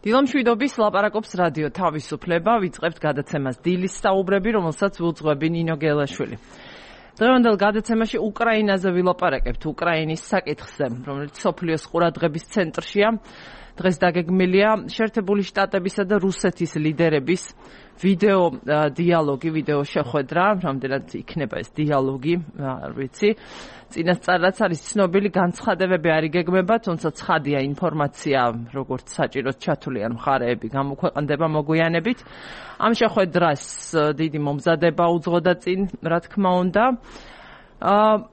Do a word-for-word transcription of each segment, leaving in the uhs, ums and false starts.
დილამშვიდობის ლაპარაკობს რადიო თავისუფლება, ვიწყებთ გადაცემას დილის საუბრები, რომელსაც ვუძღვები ნინო გელაშვილი. დღევანდელ გადაცემაში უკრაინაზე ვილაპარაკებთ, უკრაინის საკითხზე, რომელიც მსოფლიოს ყურადღების ცენტრშია. დღეს დაგეგმილია შეერთებული შტატებისა და რუსეთის ლიდერების ვიდეო დიალოგი, ვიდეო შეხვედრა, რამდენად იქნება ეს დიალოგი, არ ვიცი. წინასწარაც არის ცნობილი განცხადებები არ იგეგმება, თუმცა ცხადია ინფორმაცია, როგორც საჭიროდ ჩათვლიან მხარეები, გამოქვეყნდება მოგვიანებით. ამ შეხვედრას დიდი მომზადება უძღოდა წინ, რა თქმა უნდა.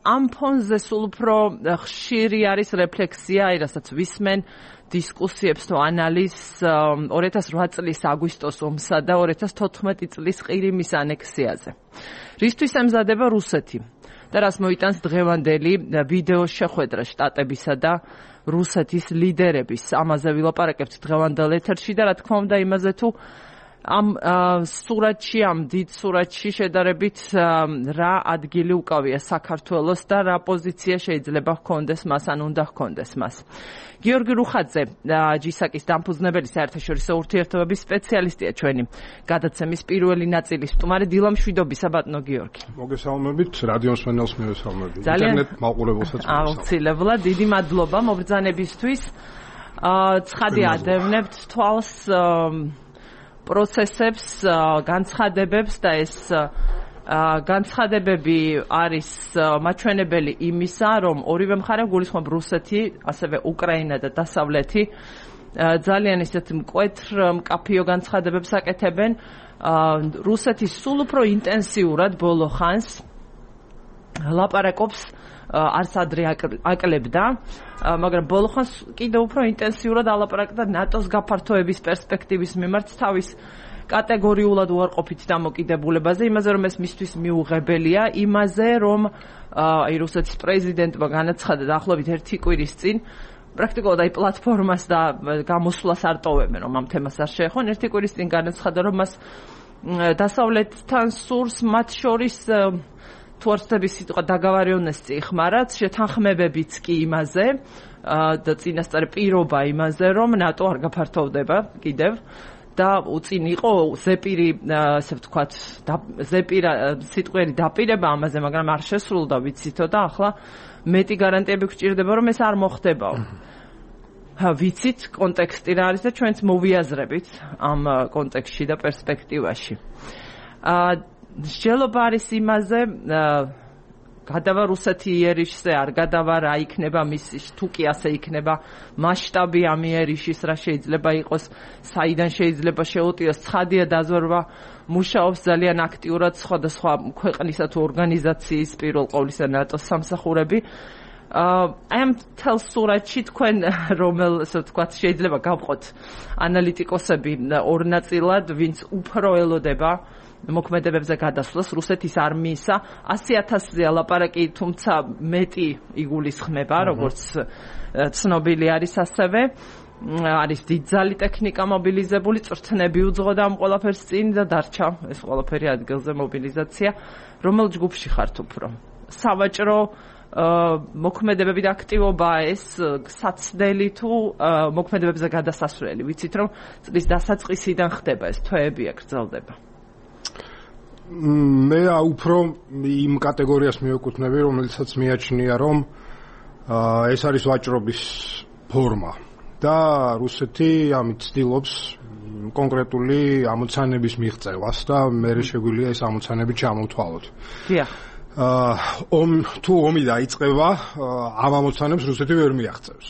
ამ ფონზე სულ უფრო ხშირი არის რეფლექსია, რასაც ვისმენ დისკუსიებს თუ ანალიზს ორი ათას რვა წლის აგვისტოს ომსა და ორი ათას თოთხმეტი წლის ყირიმის ანექსიაზე. რისთვის ემზადება რუსეთი და რას მოიტანს დღევანდელი ვიდეო შეხვედრა შტატებისა და რუსეთის ლიდერების. ამაზე ვილაპარაკებთ დღევანდელ ეთერში და რა თქმა უნდა იმაზე თუ ამ სურათში, ამ დიდ სურათში შედარებით რა ადგილი უკავია საქართველოს და რა პოზიცია შეიძლება ჰქონდეს მას, ან უნდა ჰქონდეს მას. გიორგი რუხაძე, ჯისაკის დამფუძნებელი საერთაშორისო ურთიერთობების სპეციალისტია ჩვენი გადაცემის პირველი ნაწილის სტუმარი. დილამშვიდობისა ბატონო გიორგი. მოგესალმებით, რადიო მსმენელს მივესალმებით. ინტერნეტ მაყურებელსაც მივესალმებით. აუცილებლად, დიდი მადლობა მობრძანებისთვის. ცხადი ადევნებთ თვალს პროცესებს, განცხადებებს და ეს განცხადებები არის მაჩვენებელი იმისა, რომ ორივე მხარე გულისხმობ რუსეთი, ასევე უკრაინა და დასავლეთი ძალიან ისეთ მკვეთრ მკაფიო განცხადებებს აკეთებენ. რუსეთი სულ უფრო ინტენსიურად ბოლო ხანს ლაპარაკობს, არც ადრე აკლებდა, მაგრამ ბოლო ხანს კიდევ უფრო ინტენსიურად ალაპარაკდა ნატოს გაფართოების პერსპექტივის მიმართ თავის კატეგორიულად უარყოფით დამოკიდებულებაზე, იმაზე რომ ეს მისთვის მიუღებელია, იმაზე რომ აი რუსეთის პრეზიდენტმა განაცხადა დაახლოებით ერთი კვირის წინ, პრაქტიკულად აი პლატფორმას და გამოსვლას არ ტოვებენ, რომ ამ თემას არ შეეხონ. ერთი კვირის წინ განაცხადა, რომ მას დასავლეთთან სურს მათ შორის თუ არ ვცდები სიტყვა დაგავარიონესწი იხმარათ, შეთანხმებებიც კი იმაზე და წინასწარ პირობა იმაზე, რომ ნატო არ გაფართოვდება კიდევ და უწინ იყო ზეპირი, ასე ვთქვათ, ზეპირა სიტყვიერი დაპირება ამაზე, მაგრამ არ შესრულდა, ვიცითო და ახლა მეტი გარანტიები გვჭირდება, რომ ეს არ მოხდებაო. ვიცით კონტექსტი რა არის და ჩვენც მოვიაზრებით ამ კონტექსტში და პერსპექტივაში. მსჯელობა არის იმაზე, გადავა რუსეთი იერიშზე, არ გადავა, რა იქნება მისი, თუ კი ასე იქნება მასშტაბი ამ იერიშის, რა შეიძლება იყოს, საიდან შეიძლება შეუტიოს. ცხადია დაზვერვა მუშაობს ძალიან აქტიურად სხვადასხვა ქვეყნისა თუ ორგანიზაციის, პირველ ყოვლისა ნატოს სამსახურები. აი ამ მთელ სურათში თქვენ რომელ, ასე ვთქვათ, შეიძლება გავყოთ ანალიტიკოსები ორ ნაწილად, ვინც უფრო ელოდება მოქმედებებზე გადასვლას რუსეთის არმიისა. ასი ათასზე ლაპარაკი, თუმცა მეტი იგულისხმება, როგორც ცნობილი არის ასევე. არის დიდძალი ტექნიკა მობილიზებული, წვრთნები უძღოდა ამ ყველაფერს წინ და დარჩა ეს ყველაფერი ადგილზე მობილიზაცია. რომელ ჯგუფში ხართ უფრო? სავაჭრო მოქმედებები და აქტივობაა ეს საცდელი თუ მოქმედებებზე გადასასვლელი? ვიცით რომ წლის დასაწყისიდან ხდება ეს, თვეებია გრძელდება. მე უფრო იმ კატეგორიას მივეკუთვნები, რომელიცაც მიაჩნია, რომ ეს არის ვაჭრობის ფორმა და რუსეთი ამით ცდილობს კონკრეტული ამოცანების მიღწევას და მერე შეგვიძლია ეს ამოცანები ჩამოვთვალოთ. დიახ. ომ თუ ომი დაიწყება, ამ ამოცანებს რუსეთი ვერ მიაღწევს.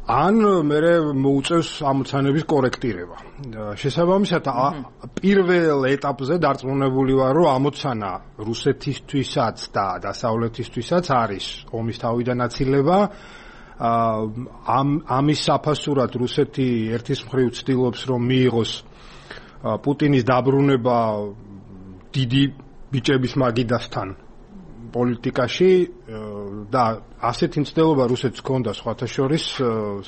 ან მერე მოუწევს ამოცანების კორექტირება. შესაბამისად, პირველ ეტაპზე დარწმუნებული ვარ, რომ ამოცანა რუსეთისთვისაც და დასავლეთისთვისაც არის ომის თავიდან აცილება. ამ ამის საფასურად რუსეთი ერთის მხრივ ცდილობს, რომ მიიღოს პუტინის დაბრუნება დიდი ბიჭების მაგიდასთან პოლიტიკაში და ასეთი მცდელობა რუსეთს ჰქონდა სხვათა შორის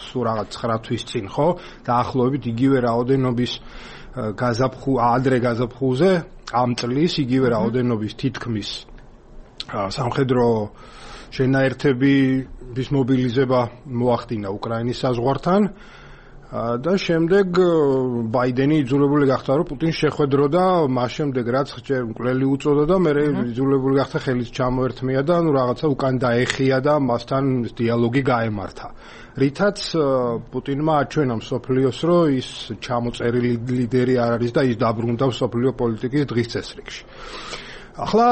სულ რაღაც ცხრა თვის წინ, ხო? დაახლოებით იგივე რაოდენობის გაზაფხულ, ადრე გაზაფხულზე ამ წლის იგივე რაოდენობის თითქმის სამხედრო შენაერთების მობილიზება მოახდინა უკრაინის საზღვართან და შემდეგ ბაიდენი იძულებული გახდა რომ პუტინს შეხვედროდა, მას შემდეგ რაც ჯერ მკვლელი უწოდა და მე იძულებული გახდა ხელის ჩამოერთმია და ნუ რაღაცა უკან დაეხია და მასთან დიალოგი გაემართა. რითაც პუტინმა აჩვენა მსოფლიოს რომ ის ჩამოწერილი ლიდერი არ არის და ის დაბრუნდა მსოფლიო პოლიტიკის დღის წესრიგში. ახლა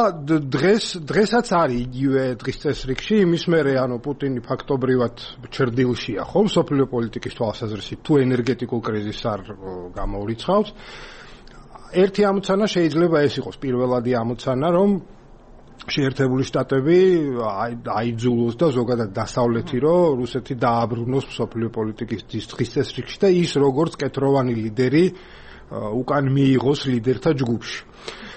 დღეს დღესაც არის იგივე დღის წესრიგში, იმის მერე ანუ პუტინი ფაქტობრივად ჩრდილშია ხო მსოფლიო პოლიტიკის თვალსაზრისით თუ ენერგეტიკულ კრიზისს არ გამოურიცხავს. ერთი ამოცანა შეიძლება ეს იყოს პირველადი ამოცანა, რომ შეერთებული შტატები აიძულოს და ზოგადად დასავლეთი რომ რუსეთი დააბრუნოს მსოფლიო პოლიტიკის დღის წესრიგში და ის როგორც კეთროვანი ლიდერი უკან მიიღოს ლიდერთა ჯგუფში.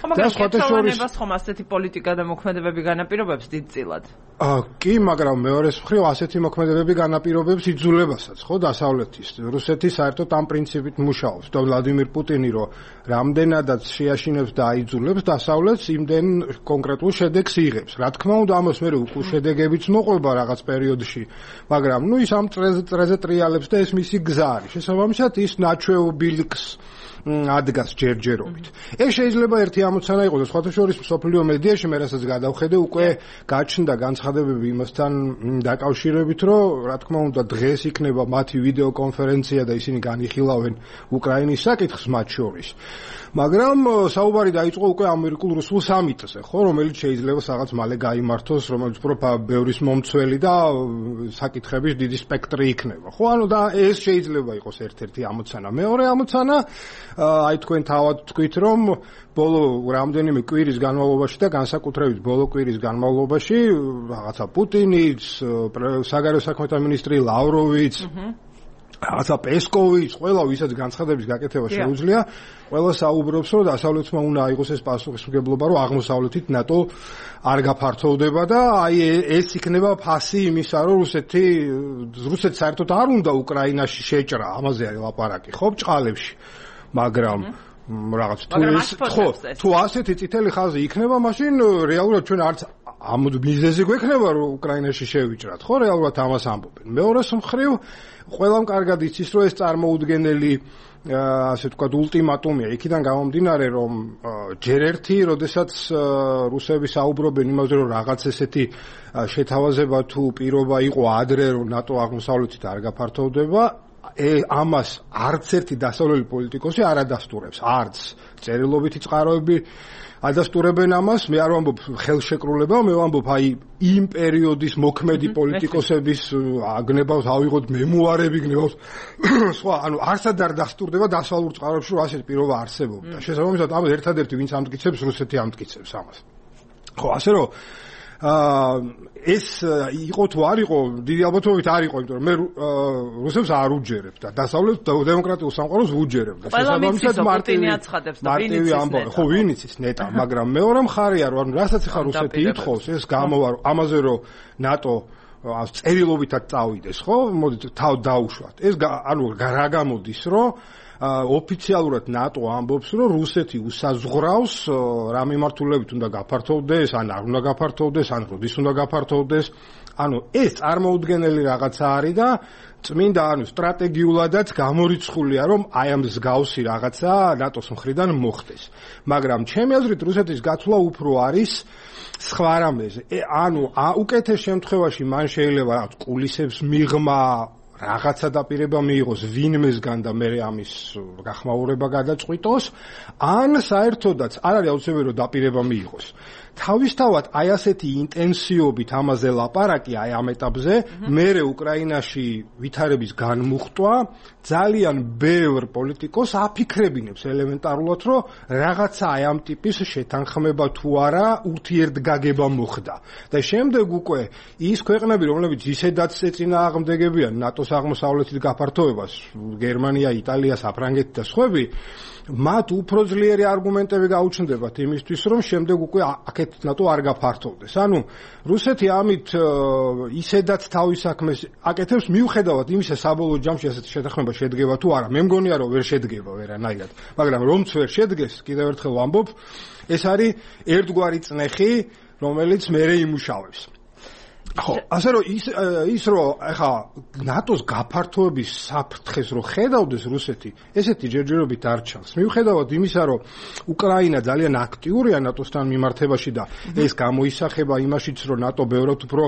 და სხვადასხვანებას ხომ ასეთი პოლიტიკა და მოქმედებები განაპირობებს დიდწილად? კი, მაგრამ მეორეს მხრივ ასეთი მოქმედებები განაპირობებს იძულებასაც, ხო, დასავლეთის. რუსეთი საერთოდ ამ პრინციპით მუშაობს და ვლადიმირ პუტინი რომ რამდენადაც შეაშინებს და აიძულებს დასავლეთს, იმდენ კონკრეტულ შედეგს იღებს. რა თქმა უნდა, ამას მე უკვე შედეგებიც მოყვება რაღაც პერიოდში, მაგრამ ნუ ის ამ წრეზე ტრიალებს და ეს მისი გზა არის. შესაბამისად ის ნაჩვეულ ბილიკს ადგას ჯერჯერობით. ეს შეიძლება ერთი ამოცანა იყოს და სხვათა შორის მსოფლიო მედიაში მე რასაც გადავხედე უკვე გაჩნდა განცხადებები იმასთან დაკავშირებით, რომ რა თქმა უნდა დღეს იქნება მათი ვიდეო კონფერენცია და ისინი განიხილავენ უკრაინის საკითხს მათ შორის. მაგრამ საუბარი დაიწყო უკვე ამერიკულ-რუსულ სამიტზე, ხო, რომელიც შეიძლება რაღაც მალე გაიმართოს, რომელიც უფრო ბევრის მომცველი და საკითხების დიდი სპექტრი იქნება. ხო, ანუ და ეს შეიძლება იყოს ერთ-ერთი ამოცანა. მეორე ამოცანა, აი თქვენ თავად თქვით, რომ ბოლო რამდენიმე კვირის განმავლობაში და განსაკუთრებით ბოლო კვირის განმავლობაში რაღაცა პუტინიც, საგარეო საქმეთა მინისტრი ლავროვიც რაღაცა პესკოვიც, ყველა ვისაც განცხადების გაკეთება შეუძლია, ყველა საუბრობს, რომ დასავლეთმა უნდა აიღოს ეს პასუხისმგებლობა, რომ აღმოსავლეთით ნატო არ გაფართოვდება და აი ეს იქნება ფასი იმისა, რომ რუსეთი რუსეთს საერთოდ არ უნდა უკრაინაში შეჭრა, ამაზე არის ლაპარაკი, ხო, ბჭყალებში. მაგრამ რაღაც თუ ეს ხო თუ ასეთი წითელი ხაზი იქნება, მაშინ რეალურად ჩვენ არც ამ მიზეზი გვექნება რომ უკრაინაში შევიჭრათ, ხო, რეალურად ამას ამბობენ. მეორეს მხრივ ყველამ კარგად იცის რომ ეს წარმოუდგენელი ასე ვთქვათ ულტიმატუმია იქიდან გამომდინარე რომ ჯერ ერთი როდესაც რუსები საუბრობენ იმაზე რომ რაღაც ესეთი შეთავაზება თუ პირობა იყო ადრე რომ ნატო აღმოსავლეთით არ გაფართოვდება, ამას არც ერთი დასავლელი პოლიტიკოსი არ ადასტურებს, არც წერილობითი წყაროები ადასტურებენ ამას. მე არ ვამბობ ხელშეკრულება, მე ვამბობ აი იმ პერიოდის მოქმედი პოლიტიკოსების აგნებავს, ავიღოთ მემუარები, გნებავს სხვა, ანუ არსად არ დასტურდება დასავლურ წყაროებში რომ ასეთი პირობა არსებობდა. შესაბამისად ამას ერთადერთი ვინც ამტკიცებს, რუსეთი ამტკიცებს ამას. ხო, ასე რომ აა ეს იყო თუ არ იყო, დიდი ალბათობით არ იყო, იმიტომ რომ მე რუსებს არ უჯერებ და დასავლეთ დემოკრატიულ სამყაროს ვუჯერებ და შესაბამისად მარტინი აცხადებს და ვინ იცის ნეტა. ხო, ვინ იცის ნეტა, მაგრამ მეორე მხარეა რომ რასაც ახლა რუსეთი ითხოვს, ეს გამოვა ამაზე რომ ნატო წერილობითად წავიდეს, ხო? მოდით თავ დაუშვათ. ეს ანუ რა გამოდის, რომ ოფიციალურად ნატო ამბობს, რომ რუსეთი უსაზღვრავს რა მიმართულებით უნდა გაფართოვდეს, ან არ უნდა გაფართოვდეს, ან როდის უნდა გაფართოვდეს. ანუ ეს წარმოუდგენელი რაღაცა არის და წმინდა ანუ სტრატეგიულადაც გამორიცხულია, რომ აი ამ მსგავსი რაღაცა ნატოს მხრიდან მოხდეს. მაგრამ ჩემი აზრით რუსეთის გაცვლა უფრო არის სხვა რამეზე. ანუ უკეთეს შემთხვევაში მან შეიძლება რაღაც კულისებს მიღმა რაღაცა დაპირება მიიღოს ვინმესგან და მე ამის გახმაურება გადაწყვიტოს, ან საერთოდაც არ არის აუცილებელი რომ დაპირება მიიღოს. თავისთავად აი ასეთი ინტენსიობით ამაზე ლაპარაკი აი ამ ეტაპზე, მერე უკრაინაში ვითარების განმუხტვა ძალიან ბევრ პოლიტიკოს აფიქრებინებს ელემენტარულად, რომ რაღაცა აი ამ ტიპის შეთანხმება თუ არა ურთიერთგაგება მოხდა. და შემდეგ უკვე ის ქვეყნები, რომლებიც ისედაც ეწინააღმდეგებიან ნატოს აღმოსავლეთის გაფართოვებას, გერმანია, იტალია, საფრანგეთი და სხვები, მათ უფრო ძლიერი არგუმენტები გაუჩნდებათ იმისთვის, რომ შემდეგ უკვე აქეთ ნატო არ გაფართოვდეს. ანუ რუსეთი ამით ისედაც თავის საქმეს აკეთებს მიუხედავად იმისა საბოლოო ჯამში ასეთი შეთანხმება შედგება თუ არა. მე მგონია რომ ვერ შედგება ვერანაირად, მაგრამ რომც ვერ შედგეს, კიდევ ერთხელ ვამბობ, ეს არის ერთგვარი წნეხი, რომელიც მერე იმუშავებს. ხო, ასე რომ ის ის რომ ახლა ნატოს გაფართოების საფრთხეს რო ხედავდეს რუსეთი, ესეთი ჯერჯერობით არ ჩანს. მიუხედავად იმისა, რომ უკრაინა ძალიან აქტიურია ნატოსთან მიმართებაში და ეს გამოისახება იმაშიც, რომ ნატო ბევრად უფრო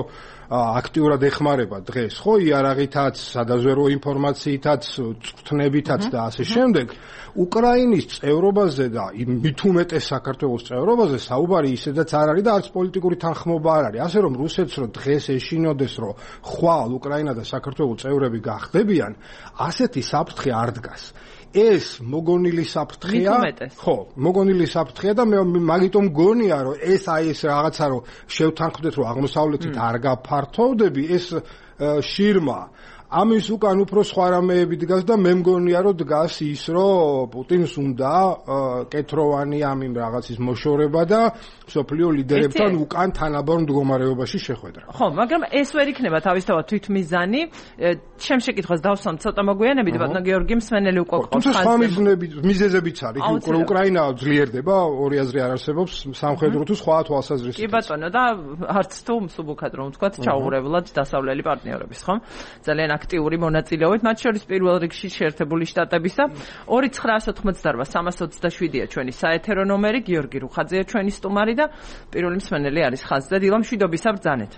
აქტიურად ეხმარება დღეს, ხო, იარაღითაც, სადაზვერვო ინფორმაციითაც, წვრთნებითაც და ასე შემდეგ. უკრაინის წევრობაზე და მით უმეტეს საქართველოს წევრობაზე საუბარი ისედაც არ არის და არც პოლიტიკური თანხმობა არ არის. ასე რომ რუსეთს რო დღეს ეშინოდეს, რომ ხვალ უკრაინა და საქართველოს წევრები გახდებიან, ასეთი საფრთხე არ დგას. ეს მოგონილი საფრთხეა. ხო, მოგონილი საფრთხეა და მე მაგიტომ გონია, რომ ეს აი ეს რაღაცა რომ შევთანხმდეთ, რომ აღმოსავლეთით არ გაფართოვდები, ეს შირმა ამის უკან უფრო სხვა რამეები დგას და მე მგონია რომ დგას ის რომ პუტინს უნდა კეთროვანი ამ იმ რაღაცის მოშორება და სოფლიო ლიდერებთან უკან თანაბარ მდგომარეობაში შეხვედრა. ხო, მაგრამ ეს ვერ იქნება თავისთავად თვითმიზანი. ჩემ შეკითხვას დავსვამ ცოტა მოგვიანებით, ბატონო გიორგი მსმენელი უკვე ყავს. თუმცა სხვა მიზეზებიც არის. უკრაინა ძლიერდება, ორი აზრი არ არსებობს, სამხედრო თუ სხვა თვალსაზრისით. კი ბატონო და არც თუ მსუბუქად რომ ვთქვათ, ჩაუღრებლად დასავლელი პარტნიორების, ხო? ძალიან აქტიური მონაწილეობით, მათ შორის პირველ რიგში შეერთებული შტატების და ორი ცხრაას ოთხმოცდაოთხ სამას ოცდაშვიდია ჩვენი საეთერო ნომერი, გიორგი რუხაძეა ჩვენი სტუმარი და პირველი მსმენელი არის ხაზზე. დილამ შვიდობისა ბრძანეთ.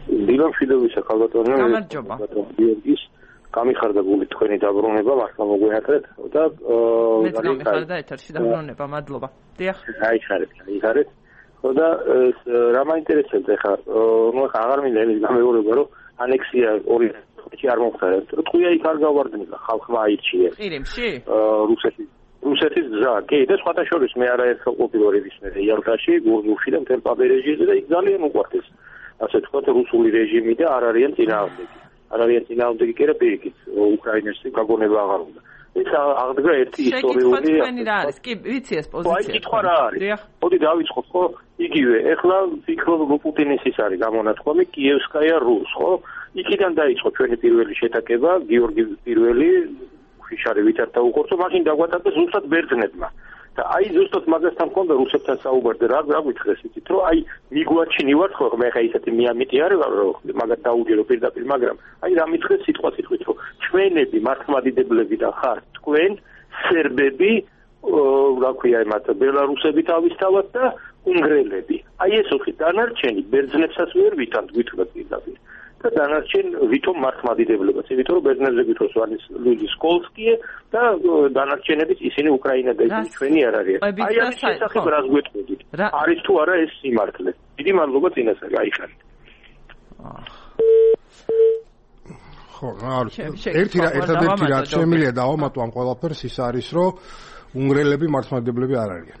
დილამ შვიდობისა ხალბატონო. გამარჯობა. გიორგის გამიხარდა გული თქვენი დაბრუნება, მართლა მოგვიათრეთ და მეც გამიხარდა ეთერში დაბრუნება, მადლობა. დიახ. გაიხარეთ, გაიხარეთ. ხო და რა მაინტერესებს ახლა, ნუ ახლა აღარ მინდა იმის გამეორება, რომ ანექსია ორი წუთი არ მომხდარა. ტყვია იქ არ გავარდნილა, ხალხმა აირჩია. ყირიმში? რუსეთის რუსეთის გზა, კი, და სხვათა შორის მე არაერთხელ ყოფილვარ ისმე იალტაში, გურგულში და მთელ პაბერეჟიაზე და იქ ძალიან უყვართ ეს, ასე ვთქვათ, რუსული რეჟიმი და არ არიან წინააღმდეგი. არ არიან წინააღმდეგი კი რა პირიქით, უკრაინაში გაგონება აღარ უნდა. ეს აღდგა ერთი ისტორიული შეკითხვანი რა არის? კი, ვიცი ეს პოზიცია. აი, კითხვა რა არის? მოდი დავიწყოთ, ხო? იგივე, ეხლა ვფიქრობ, რომ პუტინის ის არის გამონათქვამი კიევსკაია რუს, ხო? იქიდან დაიწყო ჩვენი პირველი შეტაკება, გიორგი პირველი ფიშარი ვითართა უყურთო, მაშინ დაგვატარდა ზუსტად ბერძნებმა. და აი ზუსტად მაგასთან მქონდა რუსებთან საუბარზე, რა რა გითხრეს იცით, რომ აი მიგვაჩინივართ ხო, მე ხა ისეთი მიამიტი არ ვარ, რომ მაგათ დაუჯერო პირდაპირ, მაგრამ აი რა მითხრეს სიტყვა სიტყვით, რომ ჩვენები მართლმადიდებლები და ხართ თქვენ სერბები, რა ქვია იმათ, ბელარუსები თავისთავად და უნგრელები. აი ეს ოთხი დანარჩენი ბერძნებსაც ვერ ვითანთ გითხრათ პირდაპირ. და დანარჩენ ვითომ მართლმადიდებლებას, იმიტომ რომ ბერძნებზე გითხროს არის ლუიზი სკოლსკიე და დანარჩენებიც ისინი უკრაინა და ისინი ჩვენი არ არიან. აი ამის შესახებ რას გვეტყოდით? არის თუ არა ეს სიმართლე? დიდი მადლობა წინასწარ, გაიხარეთ. ხო, არის. ერთი რა ერთადერთი რაც შემიძლია დავამატო ამ ყველაფერს ის არის, რომ უნგრელები მართლმადიდებლები არ არიან.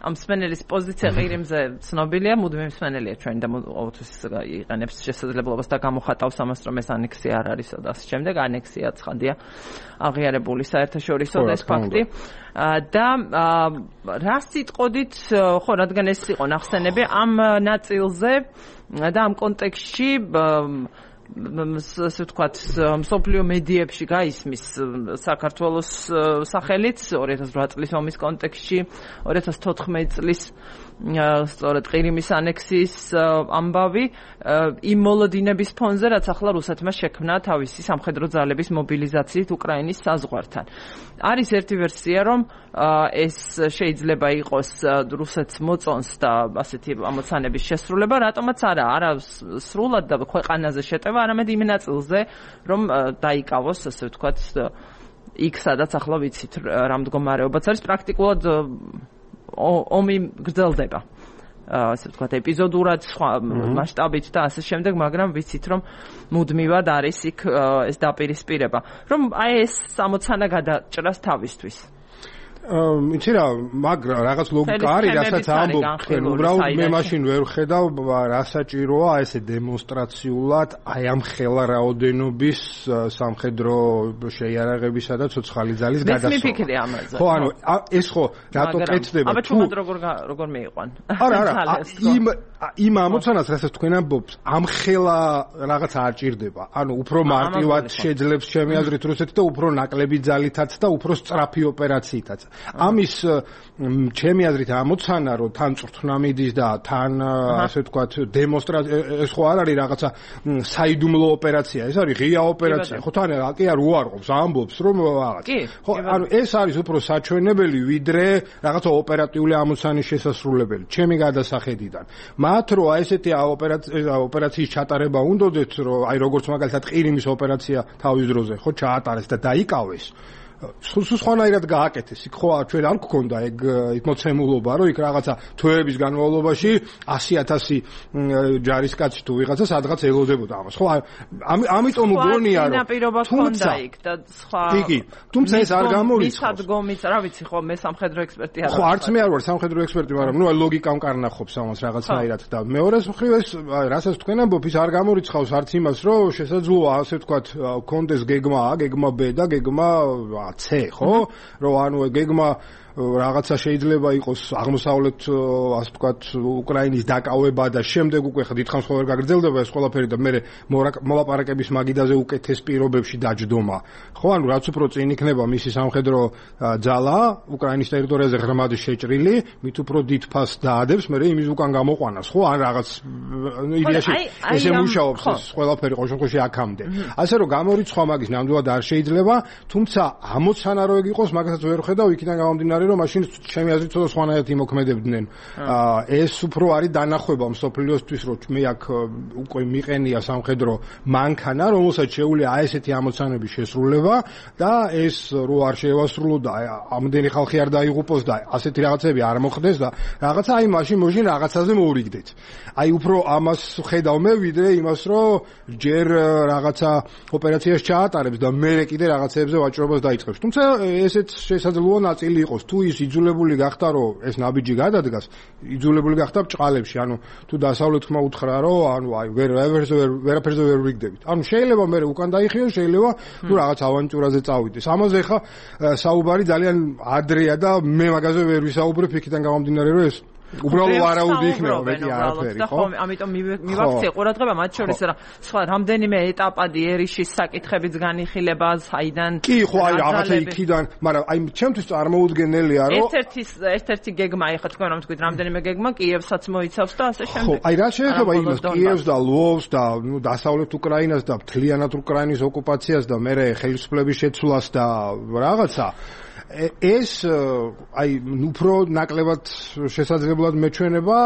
ამ მსმენელის პოზიცია ყირიმზე ცნობილია, მუდმივი მსმენელია ჩვენ და ყოველთვის იყენებს შესაძლებლობას და გამოხატავს ამას, რომ ეს ანექსია არ არისო და ასე შემდეგ. ანექსია ცხადია აღიარებული საერთაშორისო და ეს ფაქტი. და რა სიტყოდით, ხო, რადგან ეს იყო ნახსენები ამ ნაწილზე და ამ კონტექსტში ასე ვთქვათ, მსოფლიო მედიებში გაისმის საქართველოს სახელით ორი ათას ოთხ წლის ომის კონტექსტში, ორი ათას თოთხმეტი წლის სწორედ ყირიმის ანექსიის ამბავი იმ მოლოდინების ფონზე, რაც ახლა რუსეთმა შექმნა თავისი სამხედრო ძალების მობილიზაციით უკრაინის საზღვართან. არის ერთი ვერსია, რომ ეს შეიძლება იყოს რუსეთს მოწონს და ასეთი ამოცანების შესრულება, რატომაც არა, არა სრულად და ქვეყანაზე შეტევა, არამედ იმ ნაწილზე, რომ დაიკავოს, ასე ვთქვათ, იქ სადაც ახლა ვიცით რა მდგომარეობაც არის, პრაქტიკულად ომი გრძელდება. ასე ვთქვათ, ეპიზოდურად, სხვა მასშტაბით და ასე შემდეგ, მაგრამ ვიცით, რომ მუდმივად არის იქ ეს დაპირისპირება, რომ აი ეს ამოცანა გადაჭრას თავისთვის. იცი რა, მაგრამ რაღაც ლოგიკა არის, რასაც ამბობ, უბრალოდ მე მაშინ ვერ ხედავ რა საჭიროა ესე დემონსტრაციულად აი ამ ხელა რაოდენობის სამხედრო შეიარაღებისა და ცოცხალი ძალის გადასვლა. მე მიფიქრე ამაზე. ხო, ანუ ეს ხო რატო კეთდება? აბა თუ როგორ როგორ მეიყვან? არა, არა, იმ იმ ამოცანას, რასაც თქვენ ამბობთ, ამ ხელა რაღაც არ ჭირდება. ანუ უფრო მარტივად შეძლებს ჩემი აზრით რუსეთი და უფრო ნაკლები ძალითაც და უფრო სწრაფი ოპერაციითაც. ამის ჩემი აზრით ამოცანა რომ თან წვრთნა მიდის და თან ასე ვთქვათ დემონსტრაცია ეს ხო არ არის რაღაცა საიდუმლო ოპერაცია ეს არის ღია ოპერაცია ხო თან კი არ უარყოფს ამბობს რომ რაღაც ხო ანუ ეს არის უფრო საჩვენებელი ვიდრე რაღაცა ოპერატიული ამოცანის შესასრულებელი ჩემი გადასახედიდან მათ რო აი ესეთი ოპერაციის ჩატარება უნდოდეთ რომ აი როგორც მაგალითად ყირიმის ოპერაცია თავის დროზე ხო ჩაატარეს და დაიკავეს სულ სხვანაირად გააკეთეს იქ ხო ჩვენ არ გქონდა ეგ მოცემულობა რომ იქ რაღაცა თვეების განმავლობაში ასი ათასი ჯარისკაცი თუ ვიღაცა სადღაც ელოდებოდა ამას ხო ამიტომ მგონია რომ თუმცა იქ და სხვა კი თუმცა ეს არ გამორიცხავს მისადგომიც რა ვიცი ხო მე სამხედრო ექსპერტი არ ხო არც მე არ ვარ სამხედრო ექსპერტი მაგრამ ნუ ლოგიკამ კარნახობს ამას რაღაცნაირად და მეორეს მხრივ ეს რასაც თქვენ ამბობთ ის არ გამორიცხავს არც იმას რომ შესაძლოა ასე ვთქვათ კონდეს გეგმა A გეგმა B და გეგმა C ხო რომ ანუ გეგმა რაღაცა შეიძლება იყოს აღმოსავლეთ ასე ვთქვათ უკრაინის დაკავება და შემდეგ უკვე ხდითხანს ხოლმე გაგრძელდება ეს ყველაფერი და მე მოლაპარაკების მაგიდაზე უკეთეს პირობებში დაჯდომა ხო ანუ რაც უფრო წინ იქნება მისი სამხედრო ძალა უკრაინის ტერიტორიაზე ღრმად შეჭრილი მით უფრო დიდ ფასს დაადებს მე იმის უკან გამოყვანას ხო ან რაღაც იდეაში ესე მუშაობს ეს ყველაფერი ყოველ შემთხვევაში აქამდე ასე რომ გამორიცხვა მაგის ნამდვილად არ შეიძლება თუმცა ამოცანა რო ეგ იყოს მაგასაც ვერ ხედავ იქიდან გამომდინარე რომ მაშინ ჩემი აზრით ცოტა სხვანაირად იმოქმედებდნენ. ეს უფრო არის დანახვება მსოფლიოსთვის, რომ მე აქ უკვე მიყენია სამხედრო მანქანა, რომელსაც შეუძლია აი ესეთი ამოცანების შესრულება და ეს რო არ შეევასრულო და ამდენი ხალხი არ დაიღუპოს და ასეთი რაღაცები არ მოხდეს და რაღაცა აი მაშინ მაშინ რაღაცაზე მოურიგდეთ. აი უფრო ამას ხედავ მე ვიდრე იმას, რომ ჯერ რაღაცა ოპერაციას ჩაატარებს და მე კიდე რაღაცებზე ვაჭრობას დაიწყებს. თუმცა ესეც შესაძლოა ნაწილი იყოს თუ ის იძულებული გახდა რომ ეს ნაბიჯი გადადგას, იძულებული გახდა ბჭყალებში, ანუ თუ დასავლეთმა უთხრა რომ ანუ აი ვერ ვერაფერზე ვერ ვიგდებით. ანუ შეიძლება მე უკან დაიხიო, შეიძლება თუ რაღაც ავანტიურაზე წავიდეს. ამაზე ხა საუბარი ძალიან ადრეა და მე მაგაზე ვერ ვისაუბრებ იქიდან გამომდინარე რომ ეს უბრალოდ ვარაუდი იქნება მეტი არაფერი ხო? ამიტომ მივაქცია ყურადღება მათ შორის რა სხვა რამდენიმე ეტაპადი ერიშის საკითხებიც განიხილება საიდან კი ხო აი რაღაცა იქიდან მაგრამ აი ჩემთვის წარმოუდგენელია რომ ერთ-ერთი ერთ-ერთი გეგმა ეხა თქვენ რომ თქვით რამდენიმე გეგმა კიევსაც მოიცავს და ასე შემდეგ ხო აი რა შეეხება იმას კიევს და ლვოვს და ნუ დასავლეთ უკრაინას და მთლიანად უკრაინის ოკუპაციას და მე ხელისუფლების შეცვლას და რაღაცა ეს აი უფრო ნაკლებად შესაძლებლად მეჩვენება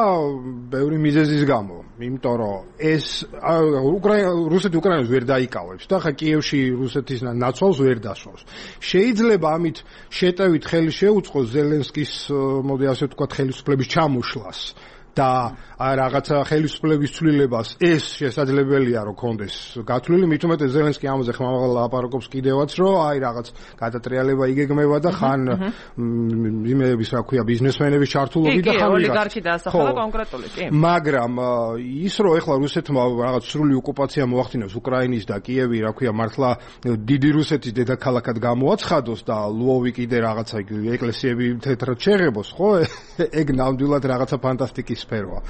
ბევრი მიზეზის გამო, იმიტომ რომ ეს უკრაინა რუსეთი უკრაინას ვერ დაიკავებს და ხა კიევში რუსეთის ნაცვალს ვერ დასვავს. შეიძლება ამით შეტევით ხელი შეუწყოს ზელენსკის მოდი ასე ვთქვათ ხელისუფლების ჩამოშლას და რაღაცა ხელისუფლების ცვლილებას ეს შესაძლებელია რომ კონდეს გათვლილი მით უმეტეს ზელენსკი ამაზე ხმამაღლა ლაპარაკობს კიდევაც რომ აი რაღაც გადატრიალება იგეგმება და ხან იმეების რა ქვია ბიზნესმენების ჩართულობით და ხან ოლიგარქი დაასახელა კონკრეტული კი მაგრამ ის რომ ეხლა რუსეთმა რაღაც სრული ოკუპაცია მოახდინოს უკრაინის და კიევი რა ქვია მართლა დიდი რუსეთის დედაქალაქად გამოაცხადოს და ლვოვი კიდე რაღაცა ეკლესიები თეთრად შეღებოს ხო ეგ ნამდვილად რაღაცა ფანტასტიკის სფეროა.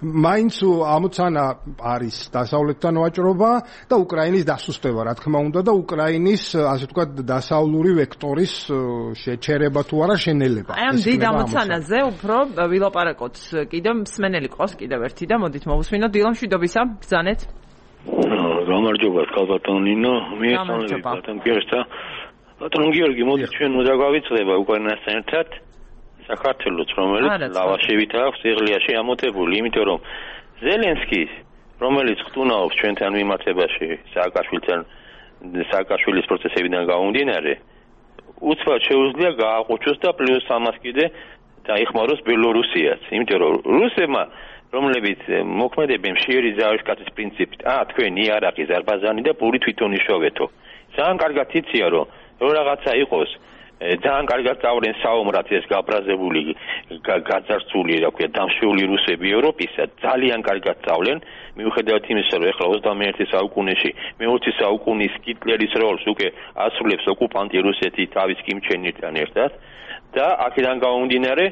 მაინც ამოცანა არის დასავლეთთან ვაჭრობა და უკრაინის დასუსტება, რა თქმა უნდა და უკრაინის ასე ვთქვათ დასავლური ვექტორის შეჩერება თუ არა შენელება. აი ამ დიდ ამოცანაზე უფრო ვილაპარაკოთ კიდევ მსმენელი ყავს კიდევ ერთი და მოდით მოვუსმინოთ დილა მშვიდობისა, ბრძანეთ. გამარჯობა, კალბატონინო, მე ბატონ გიორგისა. ბატონ გიორგი, მოდი ჩვენ მოდაგვავიწყდება უკრაინასთან ერთად. საქართველოს რომელიც ლავაშებით აქვს იღლიაში ამოთებული, იმიტომ რომ ზელენსკი, რომელიც ხტუნაობს ჩვენთან მიმართებაში სააკაშვილთან სააკაშვილის პროცესებიდან გამომდინარე, უცბად შეუძლია გააყუჩოს და პლუს ამას კიდე დაიხმაროს ბელორუსიაც, იმიტომ რომ რუსებმა რომლებიც მოქმედებენ მშიერი ზავის კაცის პრინციპით, აა თქვენ იარაღი, ზარბაზანი და პური თვითონ იშოვეთო. ძალიან კარგად იციან რომ რო რაღაცა იყოს ძალიან კარგად წავლენ საომრად ეს გაბრაზებული გაძარცული რა ქვია დამშვეული რუსები ევროპისა ძალიან კარგად წავლენ მიუხედავად იმისა რომ ეხლა ოცდამეერთე საუკუნეში მეოცე საუკუნის ჰიტლერის როლს უკვე ასრულებს ოკუპანტი რუსეთი თავის კიმჩენირთან ერთად და აქედან გამომდინარე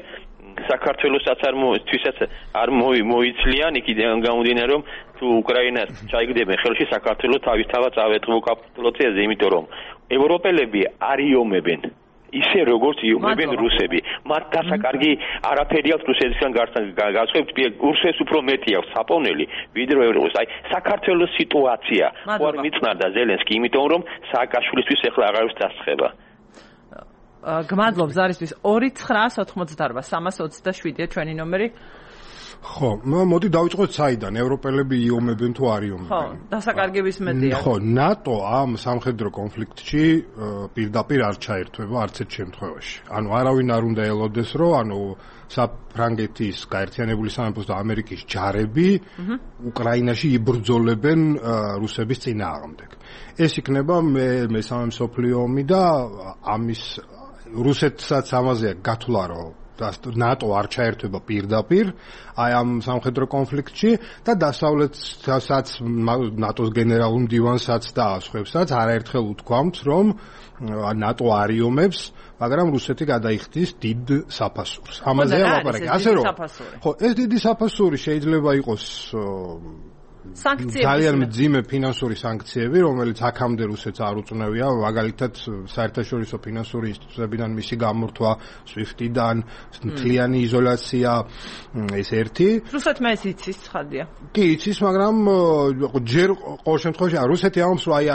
საქართველოსაც არ თვისაც არ მოიცლიან იქიდან გამომდინარე რომ თუ უკრაინას ჩაიგდებენ ხელში საქართველოს თავისთავად წავეწყო კაპიტულაციაზე იმიტომ რომ ევროპელები არიომებენ ისე როგორც იუმებენ რუსები. მათ დასაკარგი არაფერი აქვს რუსეთისგან გასხვავებით, რუსებს უფრო მეტი აქვს საპოვნელი, ვიდრე ევროპის. აი, საქართველოს სიტუაცია ხო არ მიწნარდა ზელენსკი, იმიტომ რომ სააკაშვილისთვის ეხლა აღარის დასწრება. გმადლობ ზარისთვის ორი ცხრაას ოთხმოცდაარბა სამას ოცდაშვიდია ჩვენი ნომერი. ხო, მოდი დავიწყოთ საიდან ევროპელები იომებენ თუ არ იომებენ. ხო, დასაკარგების მეტია. ხო, ნატო ამ სამხედრო კონფლიქტში პირდაპირ არ ჩაერთვება არც ერთ შემთხვევაში. ანუ არავინ არ უნდა ელოდეს, რომ ანუ საფრანგეთის გაერთიანებული სამეფოს და ამერიკის ჯარები უკრაინაში იბრძოლებენ რუსების წინააღმდეგ. ეს იქნება მე მესამე მსოფლიო ომი და ამის რუსეთსაც ამაზე გათვლა რომ ნატო არ ჩაერთვება პირდაპირ აი ამ სამხედრო კონფლიქტში და დასავლეთსაც ნატოს გენერალურ მდივანსაც და სხვებსაც არაერთხელ უთქვამთ რომ ნატო არ იომებს მაგრამ რუსეთი გადაიხდის დიდ საფასურს ამაზე ლაპარაკი ასე რომ ხო ეს დიდი საფასური შეიძლება იყოს სანქციები ძალიან მძიმე ფინანსური სანქციები, რომელიც აქამდე რუსეთს არ უწნევია, მაგალითად საერთაშორისო ფინანსური ინსტიტუტებიდან მისი გამორთვა, სვიფტიდან, მთლიანი იზოლაცია, ეს ერთი. რუსეთმა ეს იცის, ცხადია. კი, იცის, მაგრამ ჯერ ყოველ შემთხვევაში რუსეთი ამბობს, რომ აი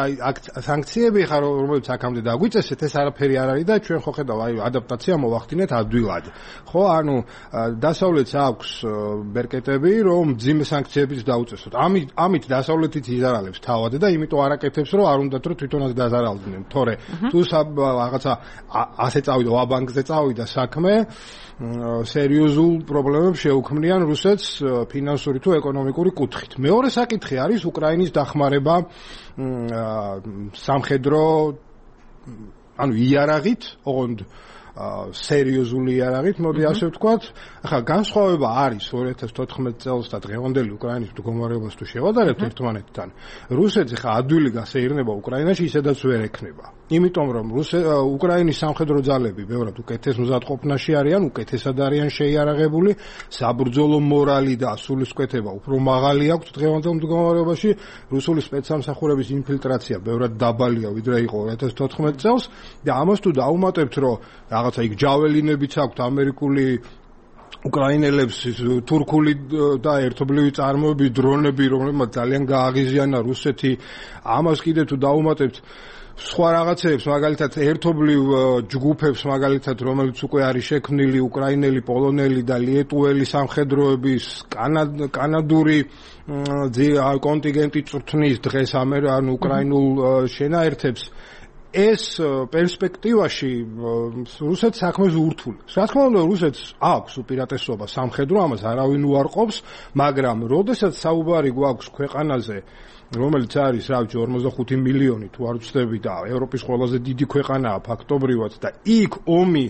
სანქციები ხარ, რომელიც აქამდე დაგვიწესეთ, ეს არაფერი არ არის და ჩვენ ხო ხედავ, აი ადაპტაცია მოვახდინეთ ადვილად. ხო, ანუ დასავლეთს აქვს ბერკეტები, რომ მძიმე სანქციებიც დაუწესოთ. ამით ამით დასავლეთიც იზარალებს თავად და იმიტომ არაკეთებს რომ არ უნდათ რომ თვითონაც დაზარალდნენ. თორე თუ რაღაცა ასე წავიდა ვაბანკზე წავიდა საქმე სერიოზულ პრობლემებს შეუქმნიან რუსეთს ფინანსური თუ ეკონომიკური კუთხით. მეორე საკითხი არის უკრაინის დახმარება სამხედრო ანუ იარაღით, ოღონდ სერიოზული იარაღით, მოდი ასე ვთქვათ. ახლა განსხვავება არის ორი ათას თოთხმეტ წელს და დღევანდელი უკრაინის მდგომარეობას თუ შევადარებთ ერთმანეთთან. რუსეთს ახლა ადვილი გასეირნება უკრაინაში ისედაც ვერ ექნება. იმიტომ რომ უკრაინის სამხედრო ძალები ბევრად უკეთეს მზადყოფნაში არიან, უკეთესად არიან შეიარაღებული, საბრძოლო მორალი და სულისკვეთება უფრო მაღალი აქვს დღევანდელ მდგომარეობაში. რუსული სპეცსამსახურების ინფილტრაცია ბევრად დაბალია ვიდრე იყო ორი ათას თოთხმეტ წელს და ამას თუ დაუმატებთ რომ რაღაცა იქ ჯაველინებიც აქვთ ამერიკული უკრაინელებს თურქული და ერთობლივი წარმოების დრონები რომლებმაც ძალიან გააღიზიანა რუსეთი ამას კიდე თუ დაუმატებთ სხვა რაღაცებს მაგალითად ერთობლივ ჯგუფებს მაგალითად რომელიც უკვე არის შექმნილი უკრაინელი, პოლონელი და ლიეტუელი სამხედროების კანადური კონტინგენტი წვრთნის დღეს ანუ უკრაინულ შენაერთებს ეს პერსპექტივაში რუსეთს საქმეს ურთულებს. რა თქმა უნდა, რუსეთს აქვს უპირატესობა სამხედრო, ამას არავინ უარყოფს, მაგრამ როდესაც საუბარი გვაქვს ქვეყანაზე, რომელიც არის რავი ორმოცდახუთი მილიონი თუ არ ვცდები და ევროპის ყველაზე დიდი ქვეყანაა ფაქტობრივად და იქ ომი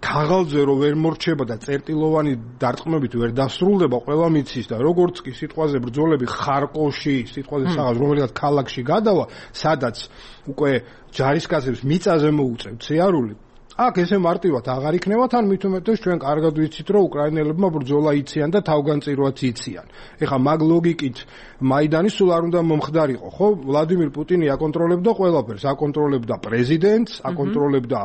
ქაღალდზე რო ვერ მორჩება და წერტილოვანი დარტყმებით ვერ დასრულდება, ყველა მიცის და როგორც კი სიტყვაზე ბრძოლები ხარკოვში, სიტყვაზე საღამოს რომელიღაც ქალაქში გადავა, სადაც უკვე ჯარისკაცებს მიწაზე მოუწევთ სიარული. აქ ესე მარტივად აღარ იქნება, თან მით უმეტეს ჩვენ კარგად ვიცით, რომ უკრაინელებმა ბრძოლა იციან და თავგანწირვაც იციან. ეხლა მაგ ლოგიკით მაიდანი სულ არ უნდა მომხდარიყო, ხო? ვლადიმირ პუტინი აკონტროლებდა ყველაფერს, აკონტროლებდა პრეზიდენტს, აკონტროლებდა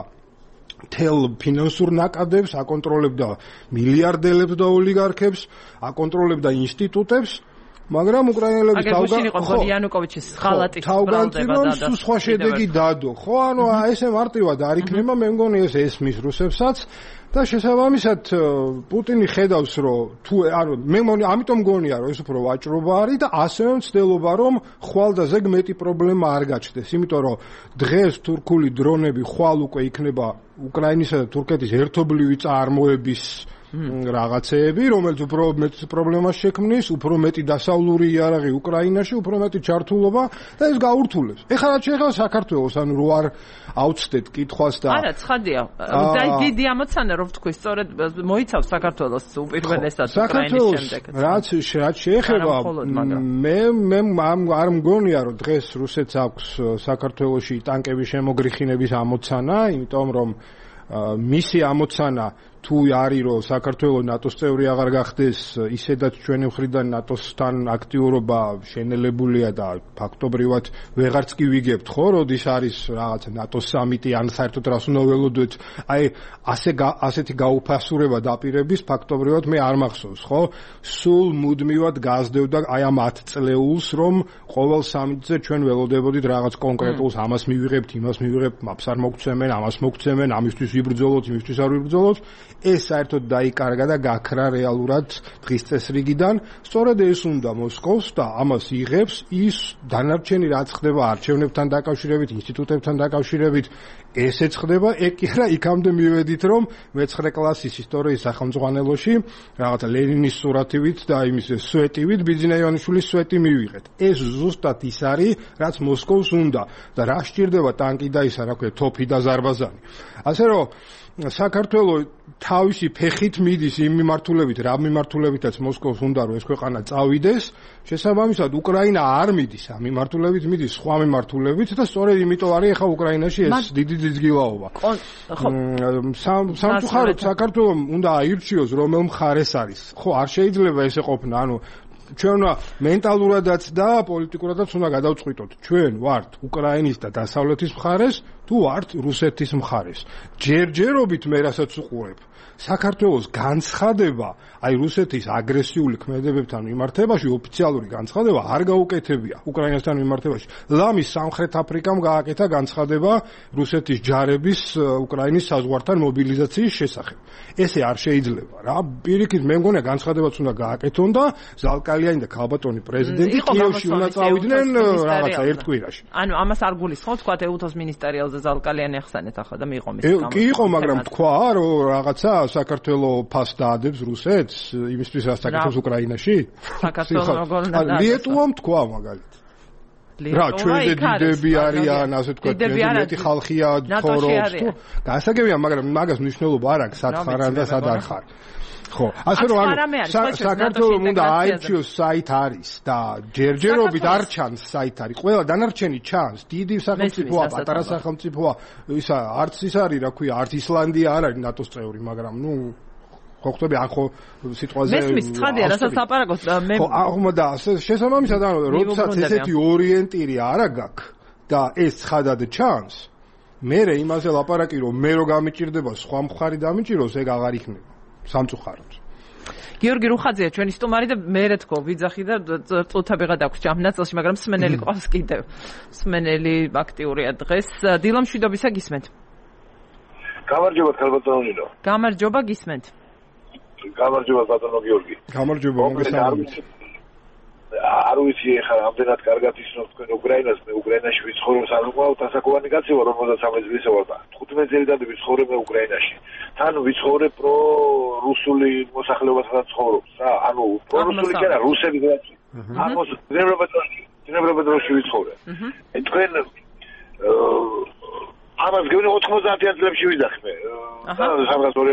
თელ ფინანსურ ნაკადებს, აკონტროლებდა მილიარდელებს და ოლიგარქებს, აკონტროლებდა ინსტიტუტებს. მაგრამ უკრაინელები თავგანწირვას ხალატის თავგანწირვას სხვა შედეგი დადო. ხო, ანუ ესე მარტივად არ იქნება, მე მგონი ეს ესმის რუსებსაც და შესაბამისად პუტინი ხედავს, რომ თუ ანუ მე მგონი ამიტომ მგონია, რომ ეს უფრო ვაჭრობა არის და ასევე მცდელობა, რომ ხვალ და ზეგ მეტი პრობლემა არ გაჩნდეს, იმიტომ რომ დღეს თურქული დრონები ხვალ უკვე იქნება უკრაინისა და თურქეთის ერთობლივი წარმოების რაღაცეები, რომელიც უფრო მეტ პრობლემას შექმნის, უფრო მეტი დასავლური იარაღი უკრაინაში, უფრო მეტი ჩართულობა და ეს გაურთულებს. ეხლა რაც შეეხება საქართველოს, ანუ რო არ აუცდეთ კითხვას და არა, ცხადია. დიდი ამოცანა რო ვთქვი, სწორედ მოიცავს საქართველოს უპირველესად უკრაინის შემდეგ. რაც რაც შეეხება მე მე არ მგონია, რომ დღეს რუსეთს აქვს საქართველოში ტანკების შემოგრიხინების ამოცანა, იმიტომ რომ მისი ამოცანა თუ არის რომ საქართველოს ნატოს წევრი აღარ გახდეს, ისედაც ჩვენი მხრიდან ნატოსთან აქტიურობა შენელებულია და ფაქტობრივად ვეღარც კი ვიგებთ, ხო, როდის არის რაღაცა ნატოს სამიტი ან საერთოდ რას უნდა ველოდოთ, აი ასე ასეთი გაუფასურება დაპირების ფაქტობრივად მე არ მახსოვს, ხო? სულ მუდმივად გაზრდევდა აი ამ ათ წლეულს, რომ ყოველ სამიტზე ჩვენ ველოდებოდით რაღაც კონკრეტულს, ამას მივიღებთ, იმას მივიღებთ, მაპს არ მოგცემენ, ამას მოგცემენ, ამისთვის ვიბრძოლოთ, იმისთვის არ ვიბრძოლოთ. ეს საერთოდ დაიკარგა და გაქრა რეალურად დღის წესრიგიდან. სწორედ ეს უნდა მოსკოვს და ამას იღებს ის დანარჩენი რაც ხდება არჩევნებთან დაკავშირებით, ინსტიტუტებთან დაკავშირებით, ესეც ხდება, ეგ კი არა იქამდე მივედით, რომ მეცხრე კლასის ისტორიის სახელმძღვანელოში რაღაცა ლენინის სურათივით და იმის სვეტივით ბიძინა ივანიშვილის სვეტი მივიღეთ. ეს ზუსტად ის არის, რაც მოსკოვს უნდა და რა სჭირდება ტანკი და ისა, რა ქვია, თოფი და ზარბაზანი. ასე რომ საქართველოს თავისი ფეხით მიდის იმ მიმართულებით, რა მიმართულებითაც მოსკოვს უნდა რომ ეს ქვეყანა წავიდეს, შესაბამისად უკრაინა არ მიდის ამ მიმართულებით, მიდის სხვა მიმართულებით და სწორედ იმიტომ არის ახლა უკრაინაში ეს დიდი ძიძგილაობა. სამწუხაროდ საქართველოს უნდა აირჩიოს რომელ მხარეს არის. ხო, არ შეიძლება ესე ყოფნა, ანუ ჩვენ მენტალურადაც და პოლიტიკურადაც უნდა გადავწყვიტოთ. ჩვენ ვართ უკრაინის და დასავლეთის მხარეს, თუ ვართ რუსეთის მხარეს. ჯერჯერობით მე რასაც უყურებ, საქართველოს განცხადება, აი რუსეთის აგრესიული ქმედებებთან მიმართებაში ოფიციალური განცხადება არ გაუკეთებია უკრაინასთან მიმართებაში. ლამის სამხრეთ აფრიკამ გააკეთა განცხადება რუსეთის ჯარების უკრაინის საზღვართან მობილიზაციის შესახებ. ესე არ შეიძლება რა. პირიქით მე მგონია განცხადებაც უნდა გააკეთონ და ზალკალიანი და ქალბატონი პრეზიდენტი კიევში უნდა წავიდნენ რაღაცა ერთ კვირაში. ანუ ამას არ გულისხმობ, თქვა ეუთოს მინისტერიალზე ზალკალიანი ახსენეთ ახლა და მიიღო მის გამო. კი იყო, მაგრამ თქვა რომ რაღაცა საქართველოს ფას დაადებს რუსეთს იმისთვის რაც საკეთებს უკრაინაში? საქართველოს როგორ უნდა დაადებს? ლიეტუვამ თქვა მაგალითად. რა, ჩვენზე დიდები არიან, ასე თქვა, მეტი ხალხია ცხოვრობს. გასაგებია, მაგრამ მაგას მნიშვნელობა არ აქვს, სად ხარ და სად არ ხარ. ხო, ასე რომ ანუ საქართველოს უნდა აირჩიოს საით არის და ჯერჯერობით არ ჩანს საით არის. ყველა დანარჩენი ჩანს, დიდი სახელმწიფოა, პატარა სახელმწიფოა, ისა არც ის არის, რა ქვია, არც ისლანდია არ არის ნატოს წევრი, მაგრამ ნუ ხო ხვდები ახო სიტყვაზე მესმის ცხადია, რასაც ლაპარაკობთ მე ხო, ახლა და შესაბამისად ანუ როდესაც ესეთი ორიენტირი არ აქვს და ეს ცხადად ჩანს, მე იმაზე ლაპარაკი რომ მე რო გამიჭირდება სხვა მხარი დამიჭიროს, ეგ აღარ იქნება. სამწუხაროდ. გიორგი რუხაძეა ჩვენი სტუმარი და მე რა თქო ვიძახი და წუთებიღა დაგვრჩა ამ ნაწილში, მაგრამ სმენელი ყავს კიდევ. სმენელი აქტიურია დღეს. დილა მშვიდობისა გისმენთ. გამარჯობა ქალბატონო. გამარჯობა გისმენთ. გამარჯობა ბატონო გიორგი. გამარჯობა, მოგესალმებით. არ ვიცი ახლა ამდენად კარგად ისნოთ თქვენ უკრაინას, მე უკრაინაში ვიცხოვრობ, ანუ ყავთ ასაკოვანი კაცი ვარ, ორმოცდამეც წლისა ვარ და თხუთმეტ წელიწად ვიცხოვრებ მე უკრაინაში. თან ვიცხოვრებ პრო რუსული მოსახლეობასთან ცხოვრობს რა, ანუ პრო რუსული კი არა, რუსები რაც. ამოს ძნებრობადროში, ძნებრობადროში ვიცხოვრებ. თქვენ ამას გეუბნები ოთხმოცდაათიან წლებში ვიძახი მე. სამას ორი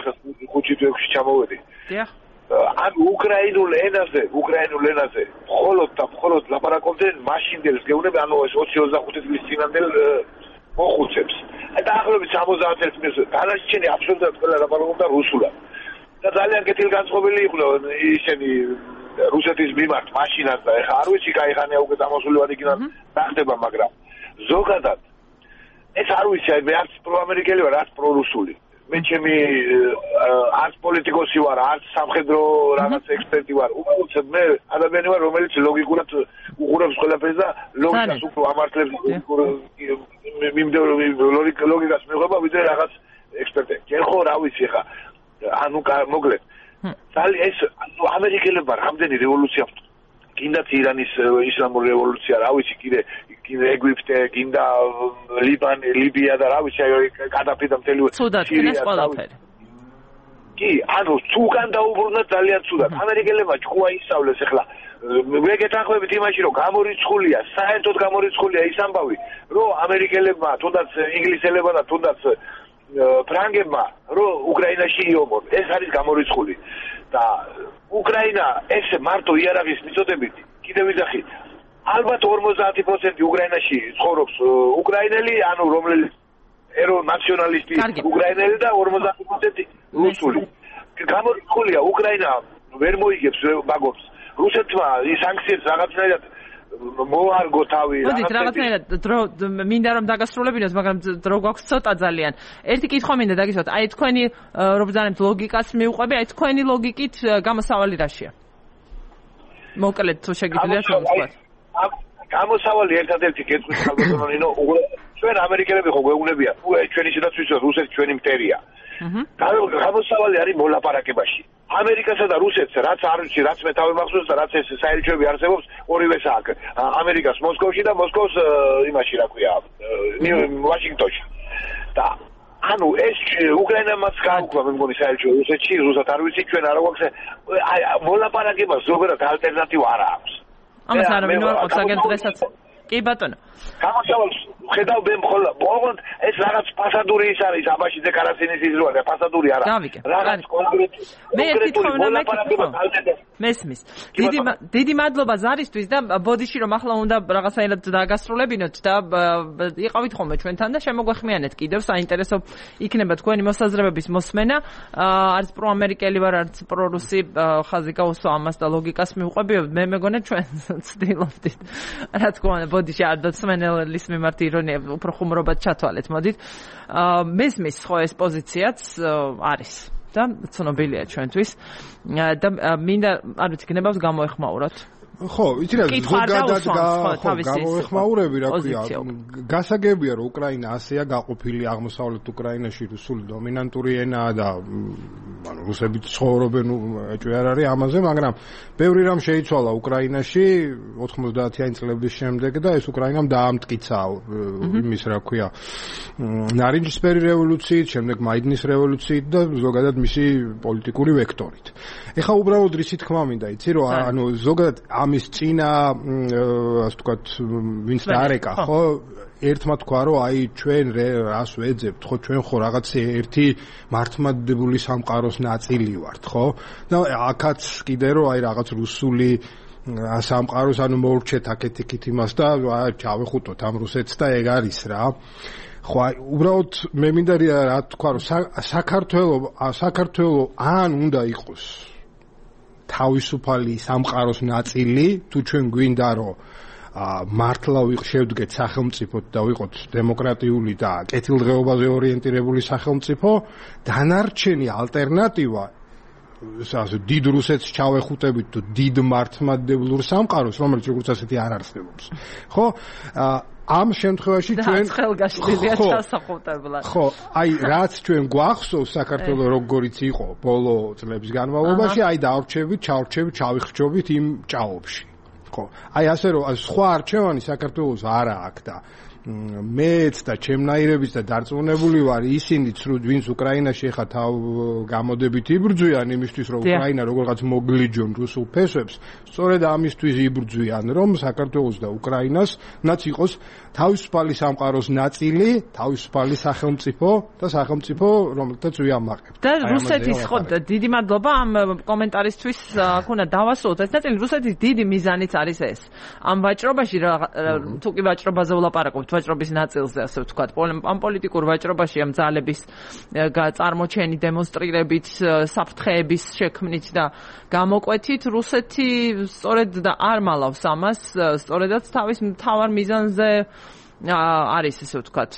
ხუთი ექვსი ჩამოვედი. დიახ. ან უკრაინულ ენაზე, უკრაინულ ენაზე, მხოლოდ და მხოლოდ ლაპარაკობდნენ მაშინდელს გეუბნები, ანუ ეს ოცი ოცდახუთი წლის წინანდელ მოხუცებს. და ახლობით სამოცდაათ წლის დანარჩენი აბსოლუტურად ყველა ლაპარაკობდა რუსულად. და ძალიან კეთილგანწყობილი იყვნენ ისინი რუსეთის მიმართ მაშინაც და ეხა არ ვიცი кайხანია უკვე დამოსული ვარ იქიდან რა ხდება, მაგრამ ზოგადად ეს არ ვიცი, აი მე არც პროამერიკელი ვარ, არც პრორუსული. მე ჩემი არც პოლიტიკოსი ვარ, არც სამხედრო რაღაც ექსპერტი ვარ. უბრალოდ მე ადამიანი ვარ, რომელიც ლოგიკურად უყურებს ყველაფერს და ლოგიკას უფრო ამართლებს, ლოგიკას მიიღება ვიდრე რაღაც ექსპერტი. ჯერ ხო რა ვიცი ხა, ანუ მოკლედ. ძალიან ეს ამერიკელებმა რამდენი რევოლუცია გინდათ ირანის ისლამური რევოლუცია, რა ვიცი, კიდე კიდე ეგვიპტე, გინდა ლიბანი, ლიბია და რა ვიცი, აი კადაფი და მთელი სირია ყველაფერი. კი, ანუ თუგან დაუბრუნდა ძალიან ცუდად. ამერიკელებმა ჭკუა ისავლეს ახლა. მე გეთანხმებით იმაში, რომ გამორიცხულია, საერთოდ გამორიცხულია ის ამბავი, რომ ამერიკელებმა, თუნდაც ინგლისელებმა და თუნდაც ფრანგებმა, რომ უკრაინაში იომონ. ეს არის გამორიცხული. და უკრაინა ეს მარტო იარაღის მიწოდებით კიდევ ვიძახი ალბათ ორმოცდაათი პროცენტი უკრაინაში ცხოვრობს უკრაინელი, ანუ რომელი ეროვნ ნაციონალისტი უკრაინელი და ორმოცდაათი პროცენტი რუსული. გამორიცხულია უკრაინა ვერ მოიგებს მაგობს რუსეთმა ის სანქციებს რაღაცნაირად მოარგო თავი მოდით რაღაცნაირად დრო მინდა რომ დაგასრულებინოთ მაგრამ დრო გვაქვს ცოტა ძალიან ერთი კითხვა მინდა დაგისვათ აი თქვენი რომ ბრძანებთ ლოგიკას მიუყვები აი თქვენი ლოგიკით გამოსავალი რაშია მოკლედ თუ შეგიძლიათ რომ ვთქვათ გამოსავალი ერთადერთი კითხვის ხალხო ნინო ჩვენ ამერიკელები ხო გვეუბნებია თუ ჩვენი შედაც ვიცით რუსეთი ჩვენი მტერია გამოსავალი არის მოლაპარაკებაში ამერიკასა და რუსეთს რაც არ ვიცი რაც მე თავი მახსოვს და რაც ეს საელჩოები არსებობს ორივეს აქ ამერიკას მოსკოვში და მოსკოვს იმაში რა ქვია ვაშინგტონში და ანუ ეს უკრაინამაც გაუქვა მე მგონი საელჩო რუსეთში რუსად არ ვიცი ჩვენ არ გვაქვს მოლაპარაკებას ზოგადად ალტერნატივა არ აქვს ამას არ მინდა აგენ დღესაც კი ბატონო გამოსავალს ხედავ მე მხოლოდ ოღონდ ეს რაღაც ფასადური ის არის აბაში დეკლარაცინის ის როა ფასადური არა რაღაც კონკრეტი მე თვითონ მესმის დიდი დიდი მადლობა ზარისთვის და ბოდიში რომ ახლა უნდა რაღაცაირად დაგასრულებინოთ და იყავით ხოლმე ჩვენთან და შემოგვეხმიანეთ კიდევ საინტერესო იქნება თქვენი მოსაზრებების მოსმენა არც პროამერიკელი ვარ არც პრორუსი ხაზი გაუსვა ამას და ლოგიკას მიუყვები მე მეგონა ჩვენ ცდილობდით რა თქმა უნდა ბოდიში არ დაცმენელის მიმართ ირონია უფრო ხუმრობად ჩათვალეთ მოდით მესმის ხო ეს პოზიციაც არის და ცნობილია ჩვენთვის და მინდა არ ვიცი გნებავს გამოეხმაუროთ ხო იცი რა ზოგადად გამოეხმაურები რა ქვია გასაგებია რომ უკრაინა ასეა გაყოფილი აღმოსავლეთ უკრაინაში რუსული დომინანტური ენაა და ანუ რუსები ცხოვრობენ ეჭვი არ არის ამაზე მაგრამ ბევრი რამ შეიცვალა უკრაინაში ოთხმოცდაათიანი წლების შემდეგ და ეს უკრაინამ დაამტკიცა იმის რა ქვია ნარინჯისფერი რევოლუციით შემდეგ მაიდნის რევოლუციით და ზოგადად მისი პოლიტიკური ვექტორით ეხლა უბრალოდ რისი თქმა მინდა იცი რომ ანუ ზოგადად ამის წინა ასე ვთქვათ ვინც დაარეკა ხო ერთმა თქვა რომ აი ჩვენ რას ვეძებთ ხო ჩვენ ხო რაღაც ერთი მართლმადიდებელი სამყაროს ნაწილი ვართ ხო და აქაც კიდე რომ აი რაღაც რუსული სამყაროს ანუ მოურჩეთ აქეთ-იქით იმას და ჩავეხუტოთ ამ რუსეთს და ეგ არის რა ხო აი უბრალოდ მე მინდა რა თქვა რომ საქართველო საქართველო ან უნდა იყოს თავისუფალი სამყაროს ნაწილი თუ ჩვენ გვინდა რომ მართლა შევდგეთ სახელმწიფოთ და ვიყოთ დემოკრატიული და კეთილდღეობაზე ორიენტირებული სახელმწიფო დანარჩენი ალტერნატივა ასე დიდ რუსეთს ჩავეხუტებით თუ დიდ მართლმადიდებლურ სამყაროს რომელიც როგორც ასეთი არ არსებობს ხო ამ შემთხვევაში ჩვენ ხელგაშლილია ჩასახუტებლად ხო აი რაც ჩვენ გვახსოვს საქართველოს როგორიც იყო ბოლო წლების განმავლობაში აი დავრჩებით ჩავრჩებით ჩავიხრჩობით იმ ჭაობში ხო აი ასე რომ სხვა არჩევანი საქართველოს არა აქვს და მეც და ჩემნაირების და დარწმუნებული ვარ ისინიც ვინც უკრაინაში ხა თავ გამოდებით იბრძვიან იმისთვის რომ უკრაინა როგორღაც მოგლიჯონ რუსულ ფესვებს სწორედ ამისთვის იბრძვიან რომ საქართველოს და უკრაინას ნაც იყოს თავისუფალი სამყაროს ნაწილი თავისუფალი სახელმწიფო და სახელმწიფო რომელთაც ვიამაყებთ და რუსეთის ხო დიდი მადლობა ამ კომენტარისთვის აქ უნდა დავასრულოთ ეს ნაწილი რუსეთის დიდი მიზანიც არის ეს ამ ვაჭრობაში თუ კი ვაჭრობაზე ვლაპარაკობთ ვაჭრობის ნაწილზე ასე ვთქვათ ამ პოლიტიკურ ვაჭრობაში ამ ძალების წარმოჩენი დემონსტრირებით საფრთხეების შექმნით და გამოკვეთით რუსეთი სწორედ და არ მალავს ამას სწორედაც თავის მთავარ მიზანზე არის ესე ვთქვათ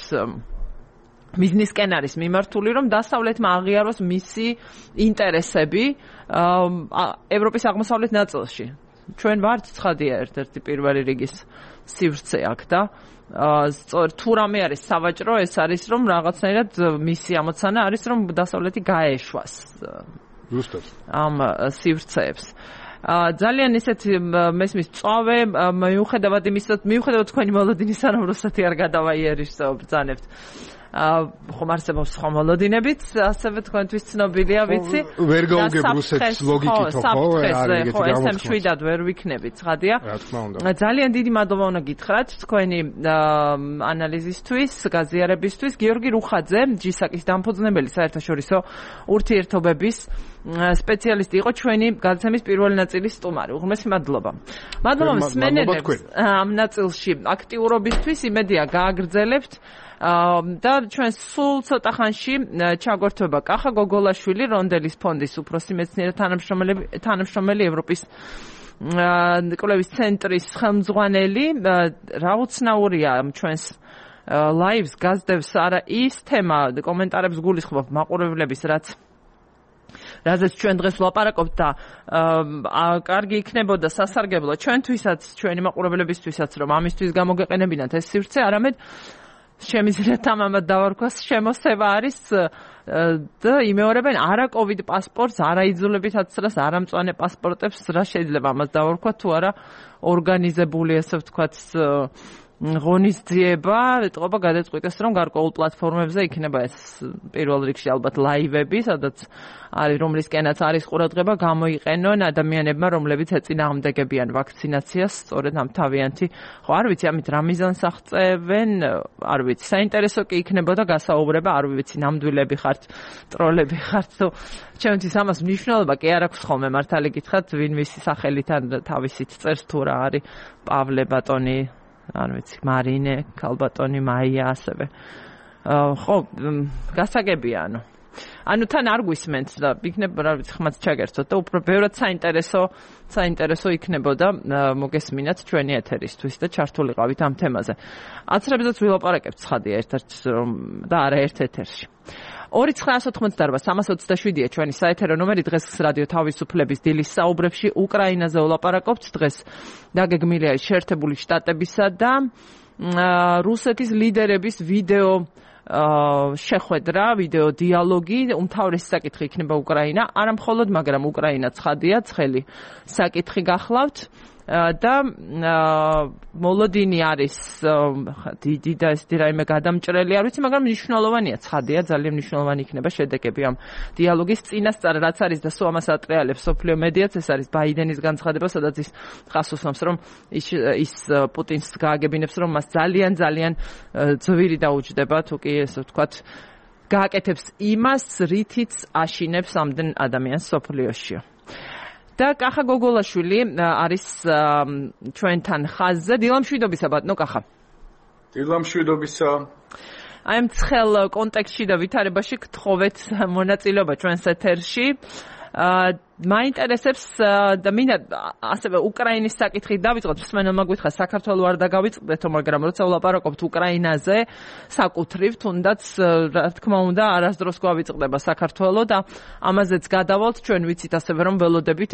ბიზნესკენ არის მიმართული რომ დასავლეთმა აღიაროს მისი ინტერესები ევროპის აღმოსავლეთ ნაწილში ჩვენ ვართ ცხადია ერთ-ერთი პირველი რიგის სივრცე აქ და სწორ თუ რამე არის სავაჭრო ეს არის რომ რაღაცნაირად მისი ამოცანა არის რომ დასავლეთი გაეშვას ზუსტად ამ სივრცეებს ძალიან ისეთ მესმის წავე მიუხედავად იმისა მიუხედავად თქვენი მოლოდინის სანამ რუსეთი არ გადავაიერიშო ბრძანებთ ხომ არსებობს სხვა მოლოდინებიც ასევე თქვენთვის ცნობილია ვიცი ვერ გაუგებ რუსეთის ლოგიკით ხო ხო ესემ შვიდად ვერ ვიქნებით ცხადია რა თქმა უნდა ძალიან დიდი მადლობა უნდა გითხრათ თქვენი ანალიზისთვის გაზიარებისთვის გიორგი რუხაძე ჯისაკის დამფუძნებელი საერთაშორისო ურთიერთობების სპეციალისტი იყო ჩვენი გადაცემის პირველი ნაწილის სტუმარი. უღრმესი მადლობა. მადლობა მსმენელებს ამ ნაწილში აქტიურობისთვის, იმედია გააგრძელებთ და ჩვენ სულ ცოტა ხანში ჩაგვერთვება კახა გოგოლაშვილი, რონდელის ფონდის უფროსი მეცნიერი თანამშრომელი, ევროპის კვლევის ცენტრის ხელმძღვანელი. რა უცნაურია ჩვენს ლაივს გაზდევს არა ის თემა, კომენტარებს გულისხმობ მაყურებლების, რაც რაზეც ჩვენ დღეს ვლაპარაკობთ და კარგი იქნებოდა სასარგებლო ჩვენთვისაც, ჩვენი მაყურებლებისთვისაც, რომ ამისთვის გამოგეყენებინათ ეს სივრცე, არამედ შემიძლია თამამად დავარქვას, შემოსევა არის და იმეორებენ არა კოვიდ პასპორტს, არა იძულებით აცრას, არა მწვანე პასპორტებს, რა შეიძლება ამას დავარქვათ, თუ არა ორგანიზებული, ასე ვთქვათ, ღონისძიება, ეტყობა გადაწყვიტეს, რომ გარკვეულ პლატფორმებზე იქნება ეს პირველ რიგში ალბათ ლაივები, სადაც არის რომლისკენაც არის ყურადღება, გამოიყენონ ადამიანებმა, რომლებიც ეწინააღმდეგებიან ვაქცინაციას, სწორედ ამ თავიანთი, ხო არ ვიცი, ამით რა მიზანს აღწევენ, არ ვიცი, საინტერესო კი იქნებოდა გასაუბრება, არ ვიცი, ნამდვილები ხართ, ტროლები ხართ, თუ ჩემთვის ამას მნიშვნელობა კი არ აქვს ხოლმე, მართალი გითხრათ, ვინ ვისი სახელით ან თავისით წერს თუ რა არის, პავლე ბატონი, არ ვიცი, მარინე, ქალბატონი, მაია, ასევე. ხო, გასაგებია, ანუ. ანუ თან არ გვისმენთ და იქნება, რა ვიცი, ხმაც ჩაგერთოთ და უფრო ბევრად საინტერესო, საინტერესო იქნებოდა მოგესმინათ ჩვენი ეთერისთვის და ჩართულიყავით ამ თემაზე. აცრებზეც ვილაპარაკებთ ცხადია ერთ-ერთ და არა ერთ ეთერში. ორი ცხრა ათოთხმოცდაარბა სამას ოცდაშვიდია ჩვენი საეთერო ნომერი. დღეს რადიო თავისუფლების დილის საუბრებში უკრაინაზე ვლაპარაკობთ. დღეს დაგეგმილია შეერთებული შტატებისა და რუსეთის ლიდერების ვიდეო შეხვედრა, ვიდეო დიალოგი. უმთავრესი საკითხი იქნება უკრაინა, არა მხოლოდ, მაგრამ უკრაინა ცხადია, ცხელი საკითხი გახლავთ. და მოლოდინი არის დიდი და ეს რაიმე გადამჭრელი არ ვიცი, მაგრამ მნიშვნელოვანია, ცხადია, ძალიან მნიშვნელოვანი იქნება შედეგები ამ დიალოგის. წინასწარ რაც არის და სულ ამას ატრიალებს სოფლიო მედიაც, ეს არის ბაიდენის განცხადება, სადაც ის ხას უსვამს, რომ ის ის პუტინს გააგებინებს, რომ მას ძალიან ძალიან ძვირი დაუჯდება, თუ კი ესე ვთქვათ, გააკეთებს იმას, რითიც აშინებს ამდენ ადამიანს სოფლიოში. და კახა გოგოლაშვილი არის ჩვენთან ხაზზე. დილამშვიდობისა ბატონო კახა. დილამშვიდობისა. აი ამ ცხელ კონტექსტში და ვითარებაში გთხოვეთ მონაწილეობა ჩვენს ეთერში. მაინტერესებს და მინდა ასევე უკრაინის საკითხით დავიწყოთ. მსმენელმა გითხრა საქართველო არ დაგავიწყდეთო, მაგრამ როცა ვლაპარაკობთ უკრაინაზე საკუთრივ, თუნდაც რა თქმა უნდა არასდროს გვავიწყდება საქართველო და ამაზეც გადავალთ. ჩვენ ვიცით ასევე რომ ველოდებით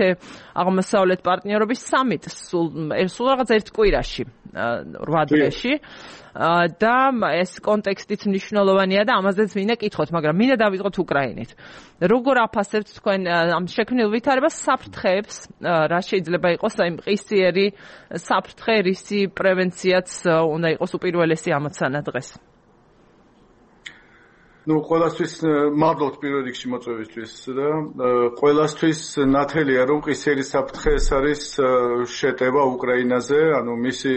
აღმოსავლეთ პარტნიორობის სამიტს სულ სულ რაღაც ერთ კვირაში, რვა დღეში. და ეს კონტექსტიც მნიშვნელოვანია და ამაზეც მინდა კითხოთ, მაგრამ მინდა დავიწყოთ უკრაინით. როგორ აფასებთ თქვენ ამ შექმნილ ვითარებას, საფრთხეებს, რა შეიძლება იყოს აი მყისიერი საფრთხე, რისი პრევენციაც უნდა იყოს უპირველესი ამოცანა დღეს? ну, ყველასთვის მადლობთ პირველ რიგში მოწვევისთვის და ყველასთვის ნათელია, რომ ყისიერი საფრთხე ეს არის შეტევა უკრაინაზე, ანუ მისი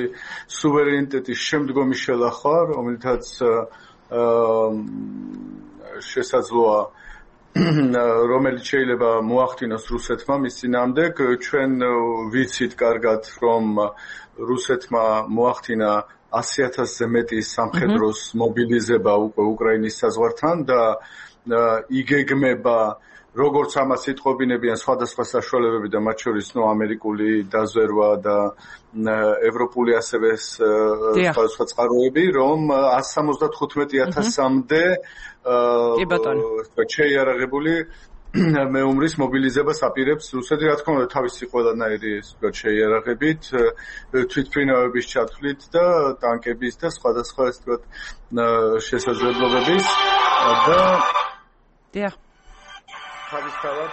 სუვერენიტეტის შემდგომი შელახვა, რომელთაც შესაძლოა რომელიც შეიძლება მოახდინოს რუსეთმა მის წინააღმდეგ. ჩვენ ვიცით კარგად, რომ რუსეთმა მოახდინა ასი ათასზე მეტი სამხედროს მობილიზება უკვე უკრაინის საზღვართან და იგეგმება, როგორც ამას იტყობინებიან სხვადასხვა საშუალებები და მათ შორის ნუ ამერიკული დაზვერვა და ევროპული ასევე სხვადასხვა წყაროები, რომ εκατს სამოცდათხუთმეტი ათასამდე შეიარაღებული მეუმრის მობილიზებას აპირებს რუსეთი, რა თქმა უნდა, თავისი ყველანაირი შეიარაღებით, თვითმფრინავების ჩათვლით და ტანკების და სხვადასხვა ეს თქვა შესაძლებლობების და დიახ. თავისთავად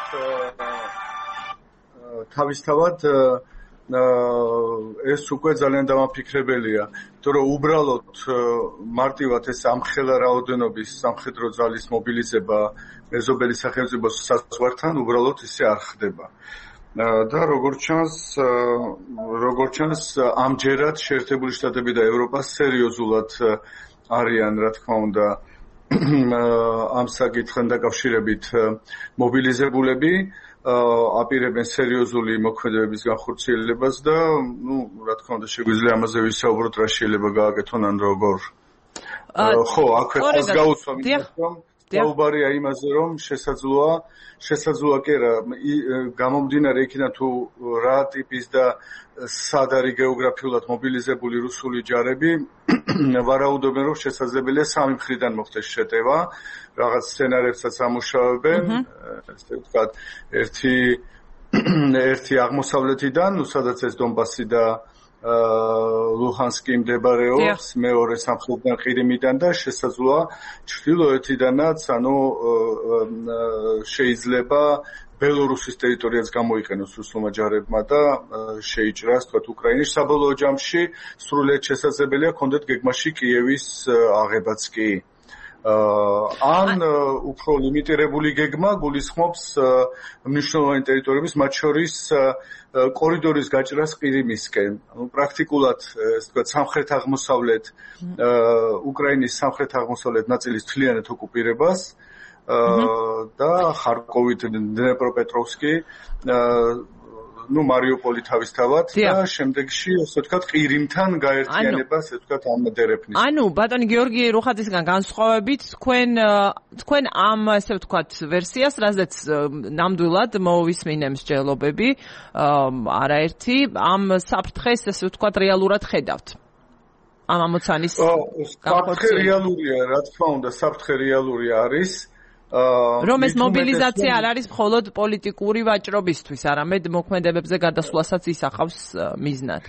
თავისთავად ეს უკვე ძალიან დამაფიქრებელია, იმიტომ რომ უბრალოდ მარტივად ეს ამხელა რაოდენობის სამხედრო ძალის მობილიზება მეზობელი სახელმწიფოს საზღვართან უბრალოდ ისე არ ხდება. და როგორც ჩანს, როგორც ჩანს, ამჯერად შეერთებული შტატები და ევროპა სერიოზულად არიან, რა თქმა უნდა, ამ საკითხთან დაკავშირებით მობილიზებულები აპირებენ სერიოზული მოქმედებების განხორციელებას და, ну, რა თქმა უნდა, შეგვიძლია ამაზე ვისაუბროთ, რა შეიძლება გააკეთონ ან როგორ. ხო, აქვე ხალხს გაუცვა მითხრა. დაუბარია იმაზე, რომ შესაძლოა, შესაძლოა კი რა, გამომდინარე იქიდან თუ რა ტიპის და სად არის გეოგრაფიულად მობილიზებული რუსული ჯარები, ვარაუდობენ, რომ შესაძლებელია სამი მხრიდან მოხდეს შეტევა, რაღაც სცენარებსაც ამუშავებენ, ესე ვთქვათ, ერთი ერთი აღმოსავლეთიდან, ну, სადაც ეს დონბასი და ლუჰანსკი მდებარეობს, მეორე სამხრეთიდან ყირიმიდან და შესაძლოა ჩრდილოეთიდანაც, ანუ შეიძლება ბელორუსის ტერიტორიაც გამოიყენოს რუსულმა ჯარებმა და შეიჭრას, თქვათ, უკრაინის საბოლოო ჯამში სრულიად შესაძლებელია კონდეთ გეგმაში კიევის აღებაც კი. ან უფრო ლიმიტირებული გეგმა გულისხმობს მნიშვნელოვანი ტერიტორიების, მათ შორის კორიდორის გაჭრას ყირიმისკენ. ანუ პრაქტიკულად, ასე ვთქვათ, სამხრეთ-აღმოსავლეთ უკრაინის სამხრეთ-აღმოსავლეთ ნაწილის თლიანად ოკუპირებას და ხარკოვით, დნეპროპეტროვსკი, ну, მარიუპოლი თავისთავად და შემდეგში, ასე ვთქვათ, ყირიმთან გაერთიანებას, ასე ვთქვათ, ამადერებნის. ანუ, ბატონი გიორგი რუხაძისგან განსხვავებით, თქვენ თქვენ ამ, ასე ვთქვათ, ვერსიას, რაზეც ნამდვილად მოვისმინე მსჯელობები, არაერთი, ამ საფრთხეს, ასე ვთქვათ, რეალურად ხედავთ. ამ ამოცანის საფრთხე რეალურია, რა თქმა უნდა, საფრთხე რეალური არის. რომ ეს მობილიზაცია არ არის მხოლოდ პოლიტიკური ვაჭრობისთვის, არამედ მოქმედებებზე გადასვლასაც ისახავს მიზნად.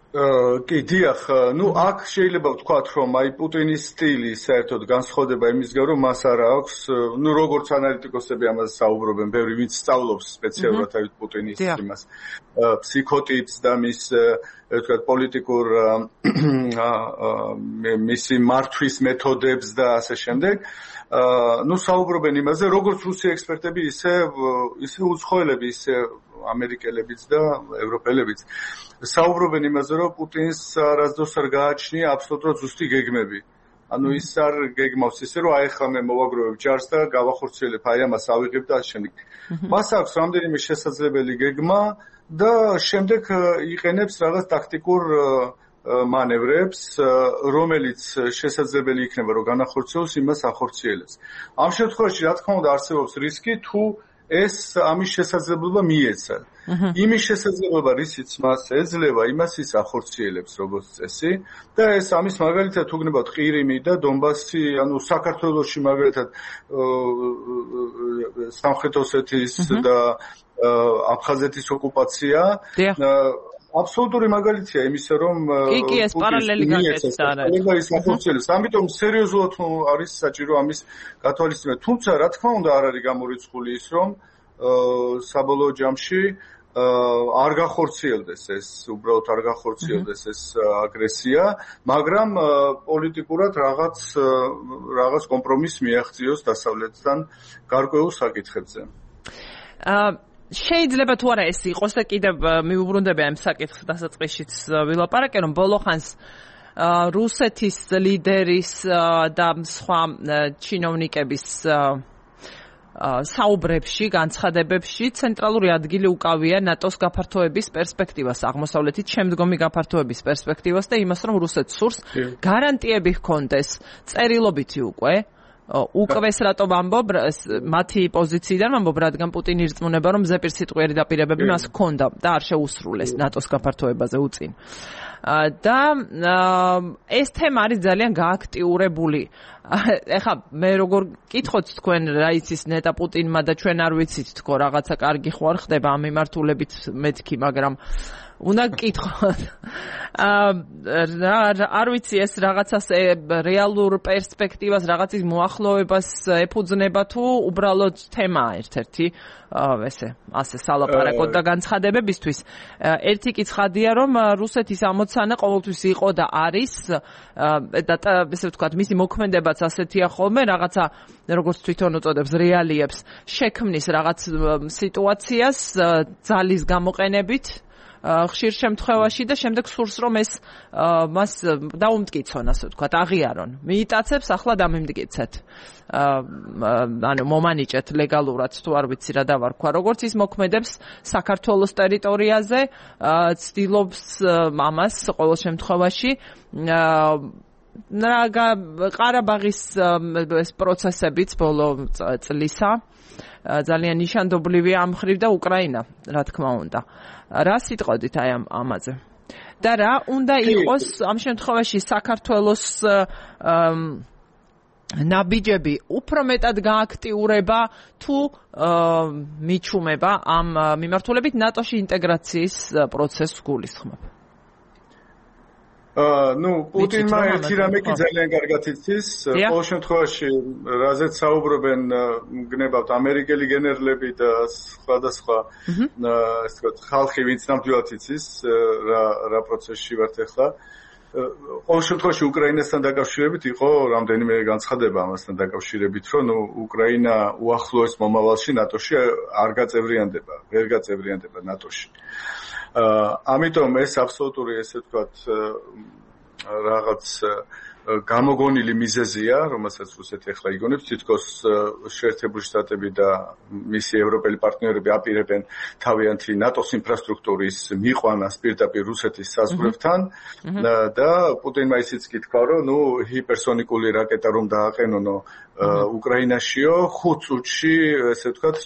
კი, დიახ, ну, აქ შეიძლება ვთქვათ, რომ აი პუტინის სტილი საერთოდ განსხვავდება იმისგან, რომ მას არ აქვს, ну, როგორც ანალიტიკოსები ამაზე საუბრობენ, ბევრი ვინც სწავლობს სპეციალურად აი პუტინის იმას, ფსიქოტიპს და მის, ვთქვათ, პოლიტიკურ მისი მართვის მეთოდებს და ასე შემდეგ. ну, საუბრობენ იმაზე, როგორც რუსი ექსპერტები, ისე ისე უცხოელები, ისე ამერიკელებიც და ევროპელებიც. საუბრობენ იმაზე, რომ პუტინს არასდროს არ გააჩნია აბსოლუტურად ზუსტი გეგმები. ანუ ის არ გეგმავს ისე, რომ აი ახლა მე მოვაგროვებ ჯარს და გავახორციელებ, აი ამას ავიღებ და ასე შემდეგ. მას აქვს რამდენიმე შესაძლებელი გეგმა და შემდეგ იყენებს რაღაც ტაქტიკურ მანევრებს, რომელიც შესაძლებელი იქნება, რომ განახორციელოს, იმას ახორციელებს. ამ შემთხვევაში, რა თქმა უნდა, არსებობს რისკი, თუ ეს ამის შესაძლებლობა მიეცა. იმის შესაძლებლობა, რისიც მას ეძლევა, იმას ის ახორციელებს, როგორც წესი. და ეს ამის მაგალითად თუ გნებავთ ყირიმი და დონბასი, ანუ საქართველოში მაგალითად სამხრეთ ოსეთის და აფხაზეთის ოკუპაცია. აბსოლუტური მაგალითია იმისა, რომ კი, კი, ეს პარალელი გაკეთდა არა. ის ახორციელებს. ამიტომ სერიოზულად არის საჭირო ამის გათვალისწინება. თუმცა, რა თქმა უნდა, არ არის გამორიცხული ის, რომ საბოლოო ჯამში არ გახორციელდეს ეს, უბრალოდ არ გახორციელდეს ეს აგრესია, მაგრამ პოლიტიკურად რაღაც რაღაც კომპრომისს მიაღწიოს დასავლეთთან გარკვეულ საკითხებზე. აა შეიძლება თუ არა ეს იყოს და კიდევ მიუბრუნდები ამ საკითხს დასაწყისშიც ვილაპარაკე, რომ ბოლოხანს რუსეთის ლიდერის და სხვა ჩინოვნიკების საუბრებში, განცხადებებში ცენტრალური ადგილი უკავია ნატოს გაფართოების პერსპექტივას, აღმოსავლეთით შემდგომი გაფართოების პერსპექტივას და იმას, რომ რუსეთს სურს გარანტიები ჰქონდეს წერილობითი უკვე უკвес რატო ვამბობ მათი პოზიციიდან ვამბობ, რადგან პუტინი ირწმუნება, რომ ზეპირსიტყვიერი დაპირებები მას ჰქონდა და არ შეუსრულეს ნატოს გაფართოებაზე უწინ. და ეს თემა არის ძალიან გააქტიურებული. ეხლა მე როგორ კითხოთ თქვენ რა იცის ნეტა პუტინმა და ჩვენ არ ვიცით თქო რაღაცა კარგი ხო არ ხდება ამ მიმართულებით მეთქი, მაგრამ უნდა გკითხოთ. არ ვიცი ეს რაღაცას რეალურ პერსპექტივას, რაღაცის მოახლოებას ეფუძნება თუ უბრალოდ თემაა ერთ-ერთი ესე ასე სალაპარაკოდ და განცხადებებისთვის. ერთი კი ცხადია, რომ რუსეთის ამოცანა ყოველთვის იყო და არის და ესე ვთქვათ, მისი მოქმედებაც ასეთია ხოლმე, რაღაცა როგორც თვითონ უწოდებს რეალიებს შექმნის რაღაც სიტუაციას ძალის გამოყენებით ხშირ შემთხვევაში და შემდეგ სურს რომ ეს მას დაუმტკიცონ, ასე ვთქვათ, აღიარონ. მიიტაცებს, ახლა დამიმტკიცეთ. ანუ მომანიჭეთ ლეგალურად თუ არ ვიცი რა დავარქვა. როგორც ის მოქმედებს საქართველოს ტერიტორიაზე, ცდილობს ამას ყოველ შემთხვევაში ყარაბაღის ეს პროცესებიც ბოლო წლისა ძალიან ნიშანდობლივია ამ მხრივ და უკრაინა, რა თქმა უნდა. რა სიტყოდით აი ამ ამაზე? და რა უნდა იყოს ამ შემთხვევაში საქართველოს ნაბიჯები უფრო მეტად გააქტიურება თუ მიჩუმება ამ მიმართულებით ნატოში ინტეგრაციის პროცესს გულისხმობ? ну პუტინმა ერთი რამე კი ძალიან კარგად იცის, ყოველ შემთხვევაში რაზეც საუბრობენ გნებავთ ამერიკელი გენერლები და სხვადასხვა ასე ვთქვათ ხალხი, ვინც ნამდვილად იცის რა რა პროცესში ვართ ახლა. ყოველ შემთხვევაში უკრაინასთან დაკავშირებით იყო რამდენიმე განცხადება ამასთან დაკავშირებით, რომ ნუ უკრაინა უახლოეს მომავალში ნატოში არ გაწევრიანდება, ვერ გაწევრიანდება ნატოში. ამიტომ ეს აბსოლუტური ესე ვთქვათ რაღაც გამოგონილი მიზეზია, რომელსაც რუსეთი ახლა იგონებს, თითქოს შეერთებული შტატები და მისი ევროპელი პარტნიორები აპირებენ თავიანთი ნატოს ინფრასტრუქტურის მიყვანას პირდაპირ რუსეთის საზღვრებთან და პუტინმა ისიც კი თქვა, რომ ნუ ჰიპერსონიკული რაკეტა რომ დააყენონო უკრაინაშიო ხუთ წუთში ესე ვთქვათ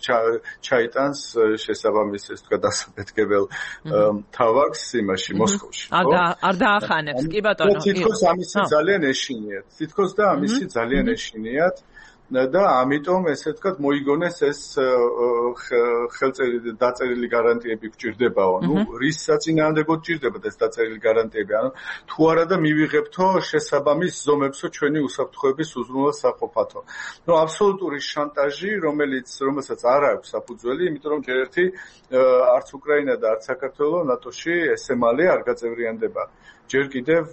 ჩაიტანს შესაბამის ესე ვთქვათ დასაბეთკებელ თავაკს იმაში მოსკოვში. არ დაახანებს, კი ბატონო. თითქოს ამისი ძალიან ეშინიათ. თითქოს და ამისი ძალიან ეშინიათ და ამიტომ ესე ვთქვათ მოიგონეს ეს ხელწერილი დაწერილი გარანტიები გჭირდებაო. ნუ რის საწინააღმდეგოდ გჭირდებათ ეს დაწერილი გარანტიები? ანუ თუ არა და მივიღებთო შესაბამის ზომებსო ჩვენი უსაფრთხოების უზრუნველყოფა საყოფათო. ნუ აბსოლუტური შანტაჟი, რომელიც რომელსაც არ აქვს საფუძველი, იმიტომ რომ ჯერ ერთი არც უკრაინა და არც საქართველო ნატოში ესე მალე არ გაწევრიანდება. ჯერ კიდევ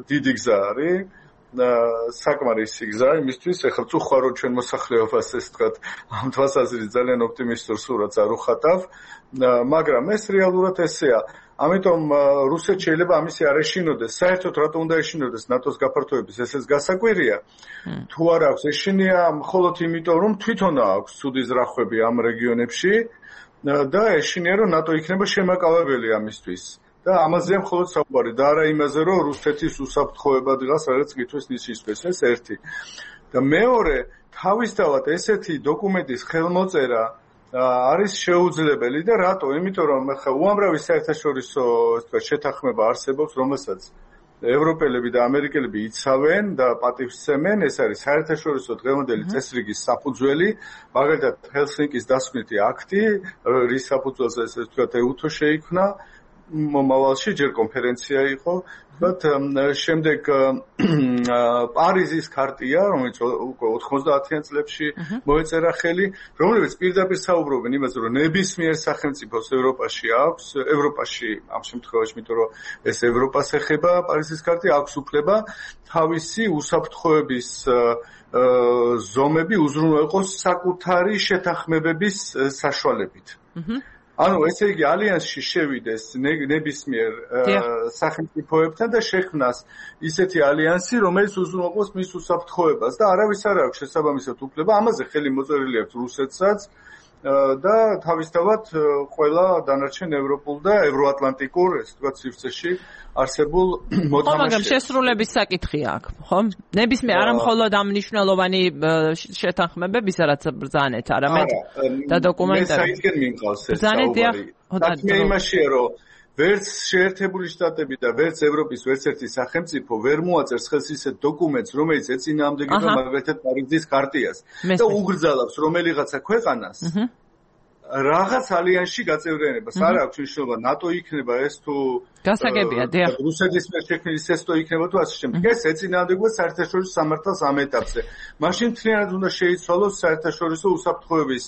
დიდი გზა არის. საკმარისი გზა იმისთვის, ეხლა თუ ხარ რომ ჩვენ მოსახლეობას ეს თქვათ ამ თვალსაზრისით ძალიან ოპტიმისტურ სურათს არ უხატავ, მაგრამ ეს რეალურად ესეა. ამიტომ რუსეთს შეიძლება ამისი არ ეშინოდეს. საერთოდ რატომ უნდა ეშინოდეს ნატოს გაფართოების, ესეც გასაკვირია. თუ არ აქვს ეშინია, მხოლოდ იმიტომ რომ თვითონ აქვს ცუდი ზრახვები ამ რეგიონებში და ეშინია რომ ნატო იქნება შემაკავებელი ამისთვის. და ამაზეა მხოლოდ საუბარი და არა იმაზე, რომ რუსეთის უსაფრთხოება დღეს რაღაც კითხვის ნიშნავს, ეს ერთი. და მეორე, თავისთავად ესეთი დოკუმენტის ხელმოწერა არის შეუძლებელი და რატო? იმიტომ რომ ახლა უამრავი საერთაშორისო ასე ვთქვათ შეთანხმება არსებობს, რომელსაც ევროპელები და ამერიკელები იცავენ და პატივსცემენ, ეს არის საერთაშორისო დღევანდელი წესრიგის საფუძველი, მაგალითად ჰელსინკის დასკვნითი აქტი, რის საფუძველზე ესე ვთქვათ ეუთო შეიქმნა. მომავალში ჯერ კონფერენცია იყო, თუმცა შემდეგ პარიზის ქარტია, რომელიც უკვე ოთხმოცდაათიან წლებში მოეწერა ხელი, რომლებიც პირდაპირ საუბრობენ იმაზე, რომ ნებისმიერ სახელმწიფოს ევროპაში აქვს, ევროპაში ამ შემთხვევაში, იმიტომ რომ ეს ევროპას ეხება, პარიზის ქარტია აქვს უფლება თავისი უსაფრთხოების ზომები უზრუნველყოს საკუთარი შეთანხმებების საშუალებით. ანუ ესე იგი ალიანსში შევიდეს ნებისმიერ სახელმწიფოებთან და შექმნას ისეთი ალიანსი, რომელიც უზრუნველყოს მის უსაფრთხოებას და არავის არ აქვს შესაბამისად უფლება, ამაზე ხელი მოწერილი აქვს რუსეთსაც და თავისთავად ყველა დანარჩენ ევროპულ და ევროატლანტიკურ, ესე ვთქვათ, სივრცეში არსებულ მოთამაშეებს. მაგრამ შესრულების საკითხია აქ, ხო? ნებისმიერ არა მხოლოდ ამ მნიშვნელოვანი შეთანხმებების, რაც ბრძანეთ, არამედ და დოკუმენტები. მე საერთოდ მიმყავს ეს საუბარი. საქმე იმაშია, რომ ვერც შეერთებული შტატები და ვერც ევროპის ვერც ერთი სახელმწიფო ვერ მოაწერს ხელს ისეთ დოკუმენტს, რომელიც ეწინააღმდეგება მაგალითად პარიზის ქარტიას და უგრძალავს რომელიღაცა ქვეყანას რაღაც ალიანსში გაწევრიანებას. არ აქვს მნიშვნელობა ნატო იქნება ეს თუ გასაგებია, დიახ. რუსეთის მიერ შექმნილი სესტო იქნება თუ ასე შემდეგ. ეს ეწინააღმდეგება საერთაშორისო სამართალს ამ ეტაპზე. მაშინ მთლიანად უნდა შეიცვალოს საერთაშორისო უსაფრთხოების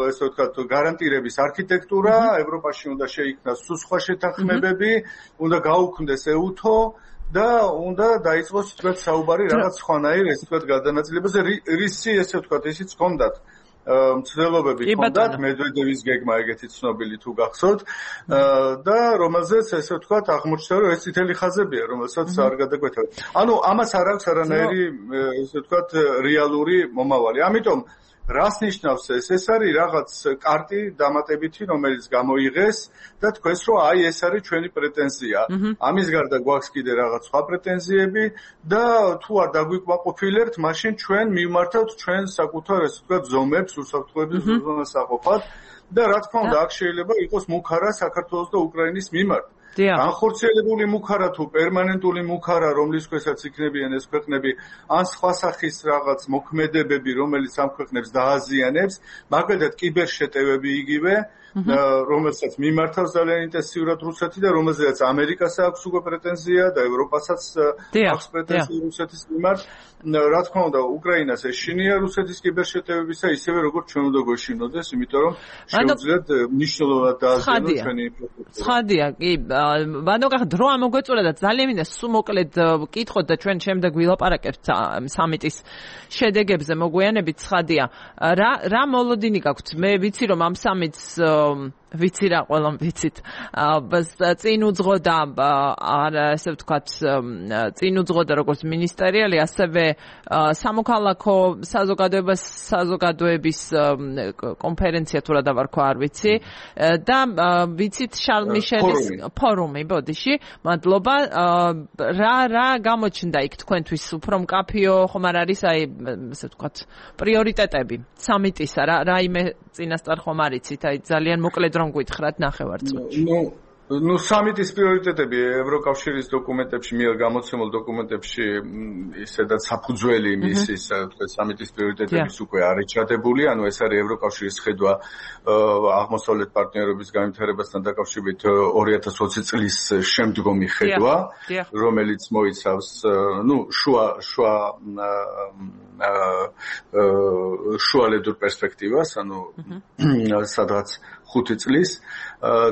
ესე ვთქვათ გარანტირების არქიტექტურა, ევროპაში უნდა შეიქმნას სხვა შეთანხმებები, უნდა გაუქმდეს ეუთო და უნდა დაიწყოს თქვათ საუბარი რაღაც სხვანაირ ესე ვთქვათ გადანაწილებაზე, რისი ესე ვთქვათ ისიც ჰქონდათ მცდელობები ჰქონდათ მედვედევის გეგმა ეგეთი ცნობილი თუ გახსოვთ და რომელზეც ესე ვთქვათ აღმოჩნდა რომ ეს წითელი ხაზებია რომელსაც არ გადაგვეთავეთ. ანუ ამას არ აქვს არანაირი ესე ვთქვათ რეალური მომავალი. ამიტომ რას ნიშნავს ეს? ეს არის რაღაც კარტი დამატებითი, რომელიც გამოიღეს და თქვენს რომ აი ეს არის ჩვენი პრეტენზია. ამის გარდა გვაქვს კიდე რაღაც სხვა პრეტენზიები და თუ არ დაგვიკმაყოფილებთ, მაშინ ჩვენ მივმართავთ ჩვენ საკუთარ ესე ვთქვათ ზომებს, უსაფრთხოების ზონას აყოფათ და რა თქმა უნდა აქ შეიძლება იყოს მუქარა საქართველოს და უკრაინის მიმართ. განხორციელებული მუქარა თუ პერმანენტული მუქარა, რომლის ქვესაც იქნებიან ეს ქვეყნები, ან სხვა სახის რაღაც მოქმედებები, რომელიც ამ ქვეყნებს დააზიანებს, მაგალითად კიბერშეტევები იგივე, რომელსაც მიმართავს ძალიან ინტენსიურად რუსეთი და რომელზეც ამერიკას აქვს უკვე პრეტენზია და ევროპასაც აქვს პრეტენზია რუსეთის მიმართ. რა თქმა უნდა, უკრაინას ეშინია რუსეთის კიბერშეტევებისა, ისევე როგორც ჩვენ უნდა გვეშინოდეს, იმიტომ რომ შეუძლიათ მნიშვნელოვნად დააზიანოს ჩვენი ინფრასტრუქტურა. ცხადია, კი, ბანო გახ დრო ამოგვეწურა და ძალიან მინდა სულ მოკლედ ვკითხოთ და ჩვენ შემდეგ ვილაპარაკებთ სამიტის შედეგებზე მოგვიანებით. ცხადია, რა რა მოლოდინი გაქვთ? მე ვიცი რომ ამ სამიტს ვიცი რა ყველამ ვიცით. წინ უძღოდა არა ესე ვთქვათ წინ უძღოდა როგორც მინისტერიალი, ასევე სამოქალაქო საზოგადოებას საზოგადოების კონფერენცია თუ რა დავარქვა არ ვიცი და ვიცით შარლ მიშელის ფორუმი ბოდიში. მადლობა. რა რა გამოჩნდა იქ თქვენთვის უფრო მკაფიო ხომ არ არის აი ესე ვთქვათ პრიორიტეტები სამიტისა? რა რაიმე წინასწარ ხომ არ იცით? აი ძალიან მოკლედ რომ გითხრათ ნახევარწუთში. ნუ ნუ სამიტის პრიორიტეტები ევროკავშირის დოკუმენტებში, მიერ გამოცემულ დოკუმენტებში ისედაც საფუძველი მისის, თქვენ სამიტის პრიორიტეტების უკვე არის ჩადებული, ანუ ეს არის ევროკავშირის ხედვა აღმოსავლეთ პარტნიორობის განვითარებასთან დაკავშირებით ორი ათას ოცი წლის შემდგომი ხედვა, რომელიც მოიცავს ნუ შუა შუა შუალედურ პერსპექტივას, ანუ სადღაც ხუთი წლის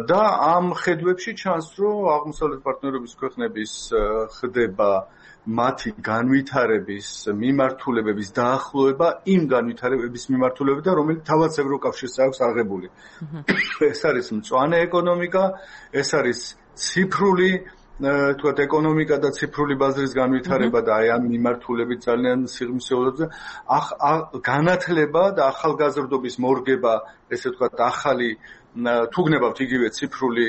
და ამ ხედვებში ჩანს, რომ აღმოსავლეთ პარტნიორობის ქვეყნების ხდება მათი განვითარების მიმართულებების დაახლოება იმ განვითარებების მიმართულებებთან, რომელიც თავად ევროკავშირს აქვს აღებული. ეს არის მწვანე ეკონომიკა, ეს არის ციფრული თქვათ ეკონომიკა და ციფრული ბაზრის განვითარება და აი ამ მიმართულებით ძალიან სიღრმისეულებზე განათლება და ახალგაზრდობის მორგება, ესე ვთქვათ ახალი თუ გნებავთ იგივე ციფრული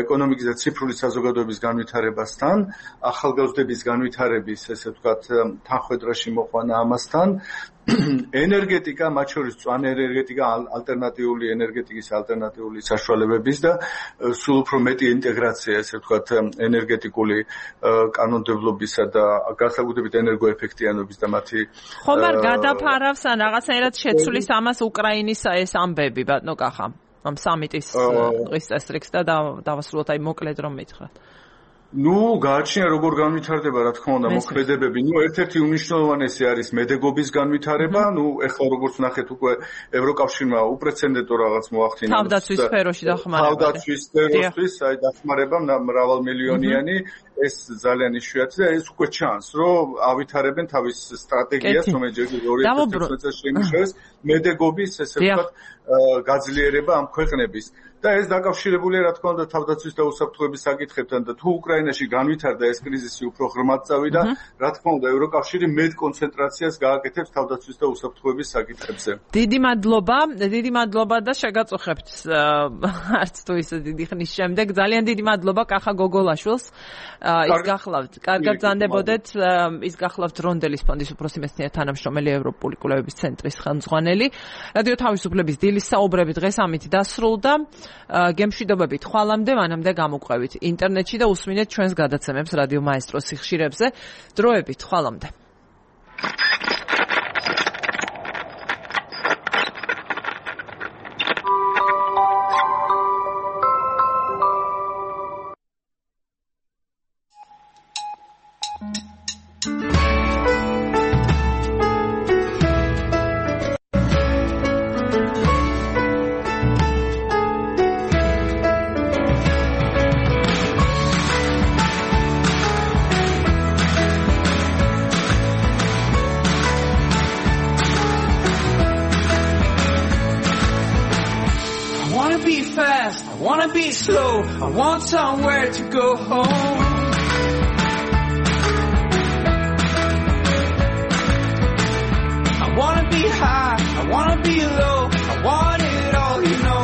ეკონომიკის და ციფრული საზოგადოების განვითარებასთან, ახალგაზრდების განვითარების, ესე ვთქვათ, თანხმედრაში მოყვანა ამასთან, ენერგეტიკა, მათ შორის მწვანე ენერგეტიკა, ალტერნატიული ენერგეტიკის ალტერნატიული საშუალებების და სულ უფრო მეტი ინტეგრაცია, ესე ვთქვათ, ენერგეტიკული კანონმდებლობისა და განსაკუთრებით ენერგოეფექტიანობის და მათი ხომ არ გადაფარავს ან რაღაცნაირად შეცვლის ამას უკრაინის ეს ამბები, ბატონო კახა? ამ სამიტის დღის წესრიგს და დავასრულოთ აი მოკლედ რომ მითხრათ. ნუ გააჩნია როგორ განვითარდება, რა თქმა უნდა, მოქმედებები. ნუ ერთ-ერთი უმნიშვნელოვანესი არის მედეგობის განვითარება. ნუ ეხლა როგორც ნახეთ, უკვე ევროკავშირმა უპრეცედენტო რაღაც მოახდინა. თავდაცვის სფეროში დახმარება. თავდაცვის სფეროსთვის, აი დახმარება მრავალმილიონიანი, ეს ძალიან იშვიათი და ეს უკვე ჩანს, რომ ავითარებენ თავის სტრატეგიას, რომელიც ორი ათას ოცდაოთხ წელს შეიმუშავეს, მედეგობის, ესე ვთქვათ, გაძლიერება ამ ქვეყნების. და ეს დაკავშირებულია, რა თქმა უნდა, თავდაცვის და უსაფრთხოების საკითხებთან და თუ უკრაინაში განვითარდა ეს კრიზისი უფრო ღრმად წავიდა, რა თქმა უნდა, ევროკავშირი მეტ კონცენტრაციას გააკეთებს თავდაცვის და უსაფრთხოების საკითხებზე. დიდი მადლობა, დიდი მადლობა და შეგაწუხებთ არც თუ ისე დიდი ხნის შემდეგ. ძალიან დიდი მადლობა კახა გოგოლაშვილს. ის გახლავთ, კარგად ზანდებოდეთ, ის გახლავთ რონდელის ფონდის უფროსი მეცნიერ თანამშრომელი ევროპული კვლევების ცენტრის ხელმძღვანელი. რადიო თავისუფლების დილის საუბრები დღეს ამით დასრულდა. გემშვიდობებით ხვალამდე, მანამდე გამოგვყევით ინტერნეტში და უსმინეთ ჩვენს გადაცემებს რადიო მაესტროს სიხშირებზე. დროებით ხვალამდე. wanna be fast, I wanna be slow, I want somewhere to go home. I wanna be high, I wanna be low, I want it all, you know.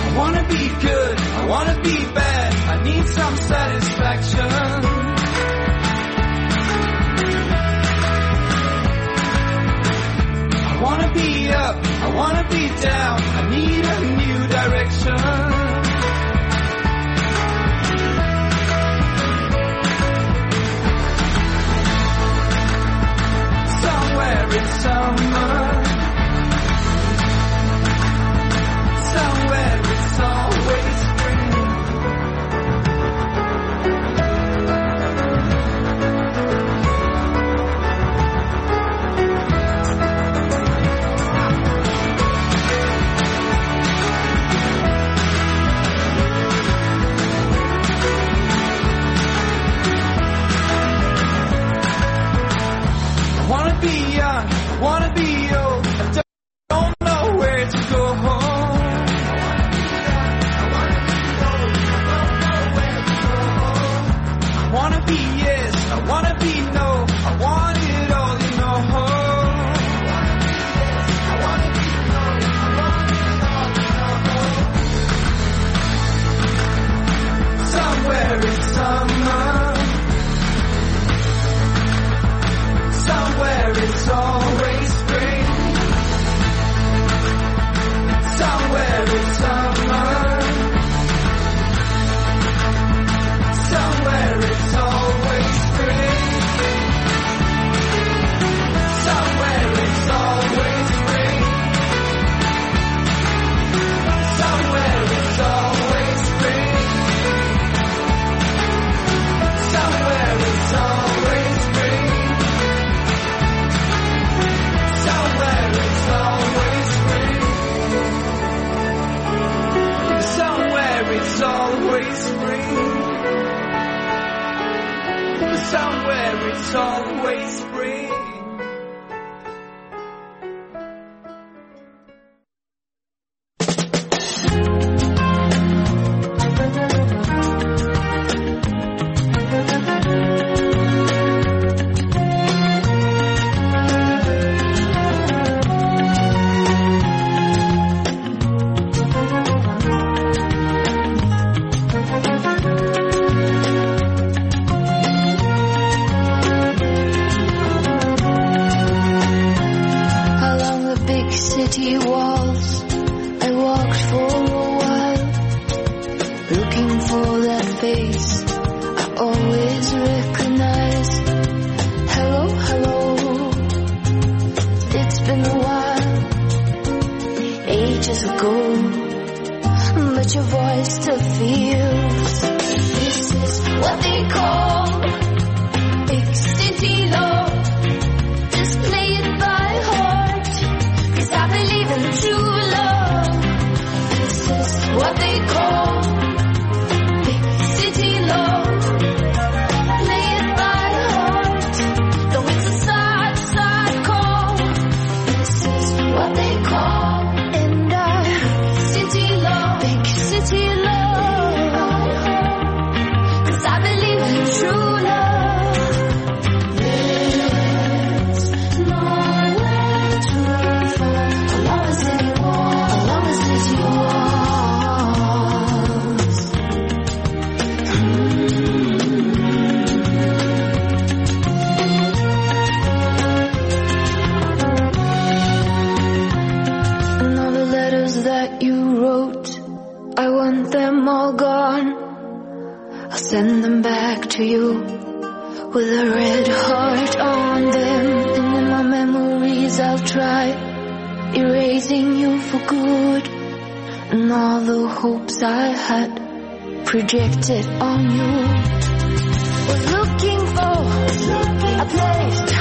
I wanna be good, I wanna be bad, I need some satisfaction. I wanna be up, I wanna be down, I need a new direction. Somewhere in summer, somewhere it's always spring. I wanna be young, I wanna be old, I don't know where to go home. I wanna be yes, I wanna be no, I want it all, you know. I wanna be no, I want it all, you know. Somewhere in summer, somewhere it's always spring. Somewhere it's summer, somewhere it's always spring. Somewhere it's always spring. Somewhere it's always spring. Somewhere it's always spring. Somewhere it's always spring. Somewhere it's always spring. Somewhere it's always spring. City walls, I walked for a while, looking for that face I always recognize. Hello, hello, it's been a while, ages ago, but your voice still feels. This is what they call big city love. Just play it by heart, 'cause I believe in true love. This is what they call big city love. Play it by heart, though it's a sad, sad call. This is what they call and I city love, big city love. 'Cause I believe in true love. There's nowhere to run, as long as it's yours, as long as it's yours. And all the letters that you wrote, I want them all gone. I'll send them back to you with a red heart on them. And in my memories I'll try erasing you for good. And all the hopes I had projected on you. Was looking for a place to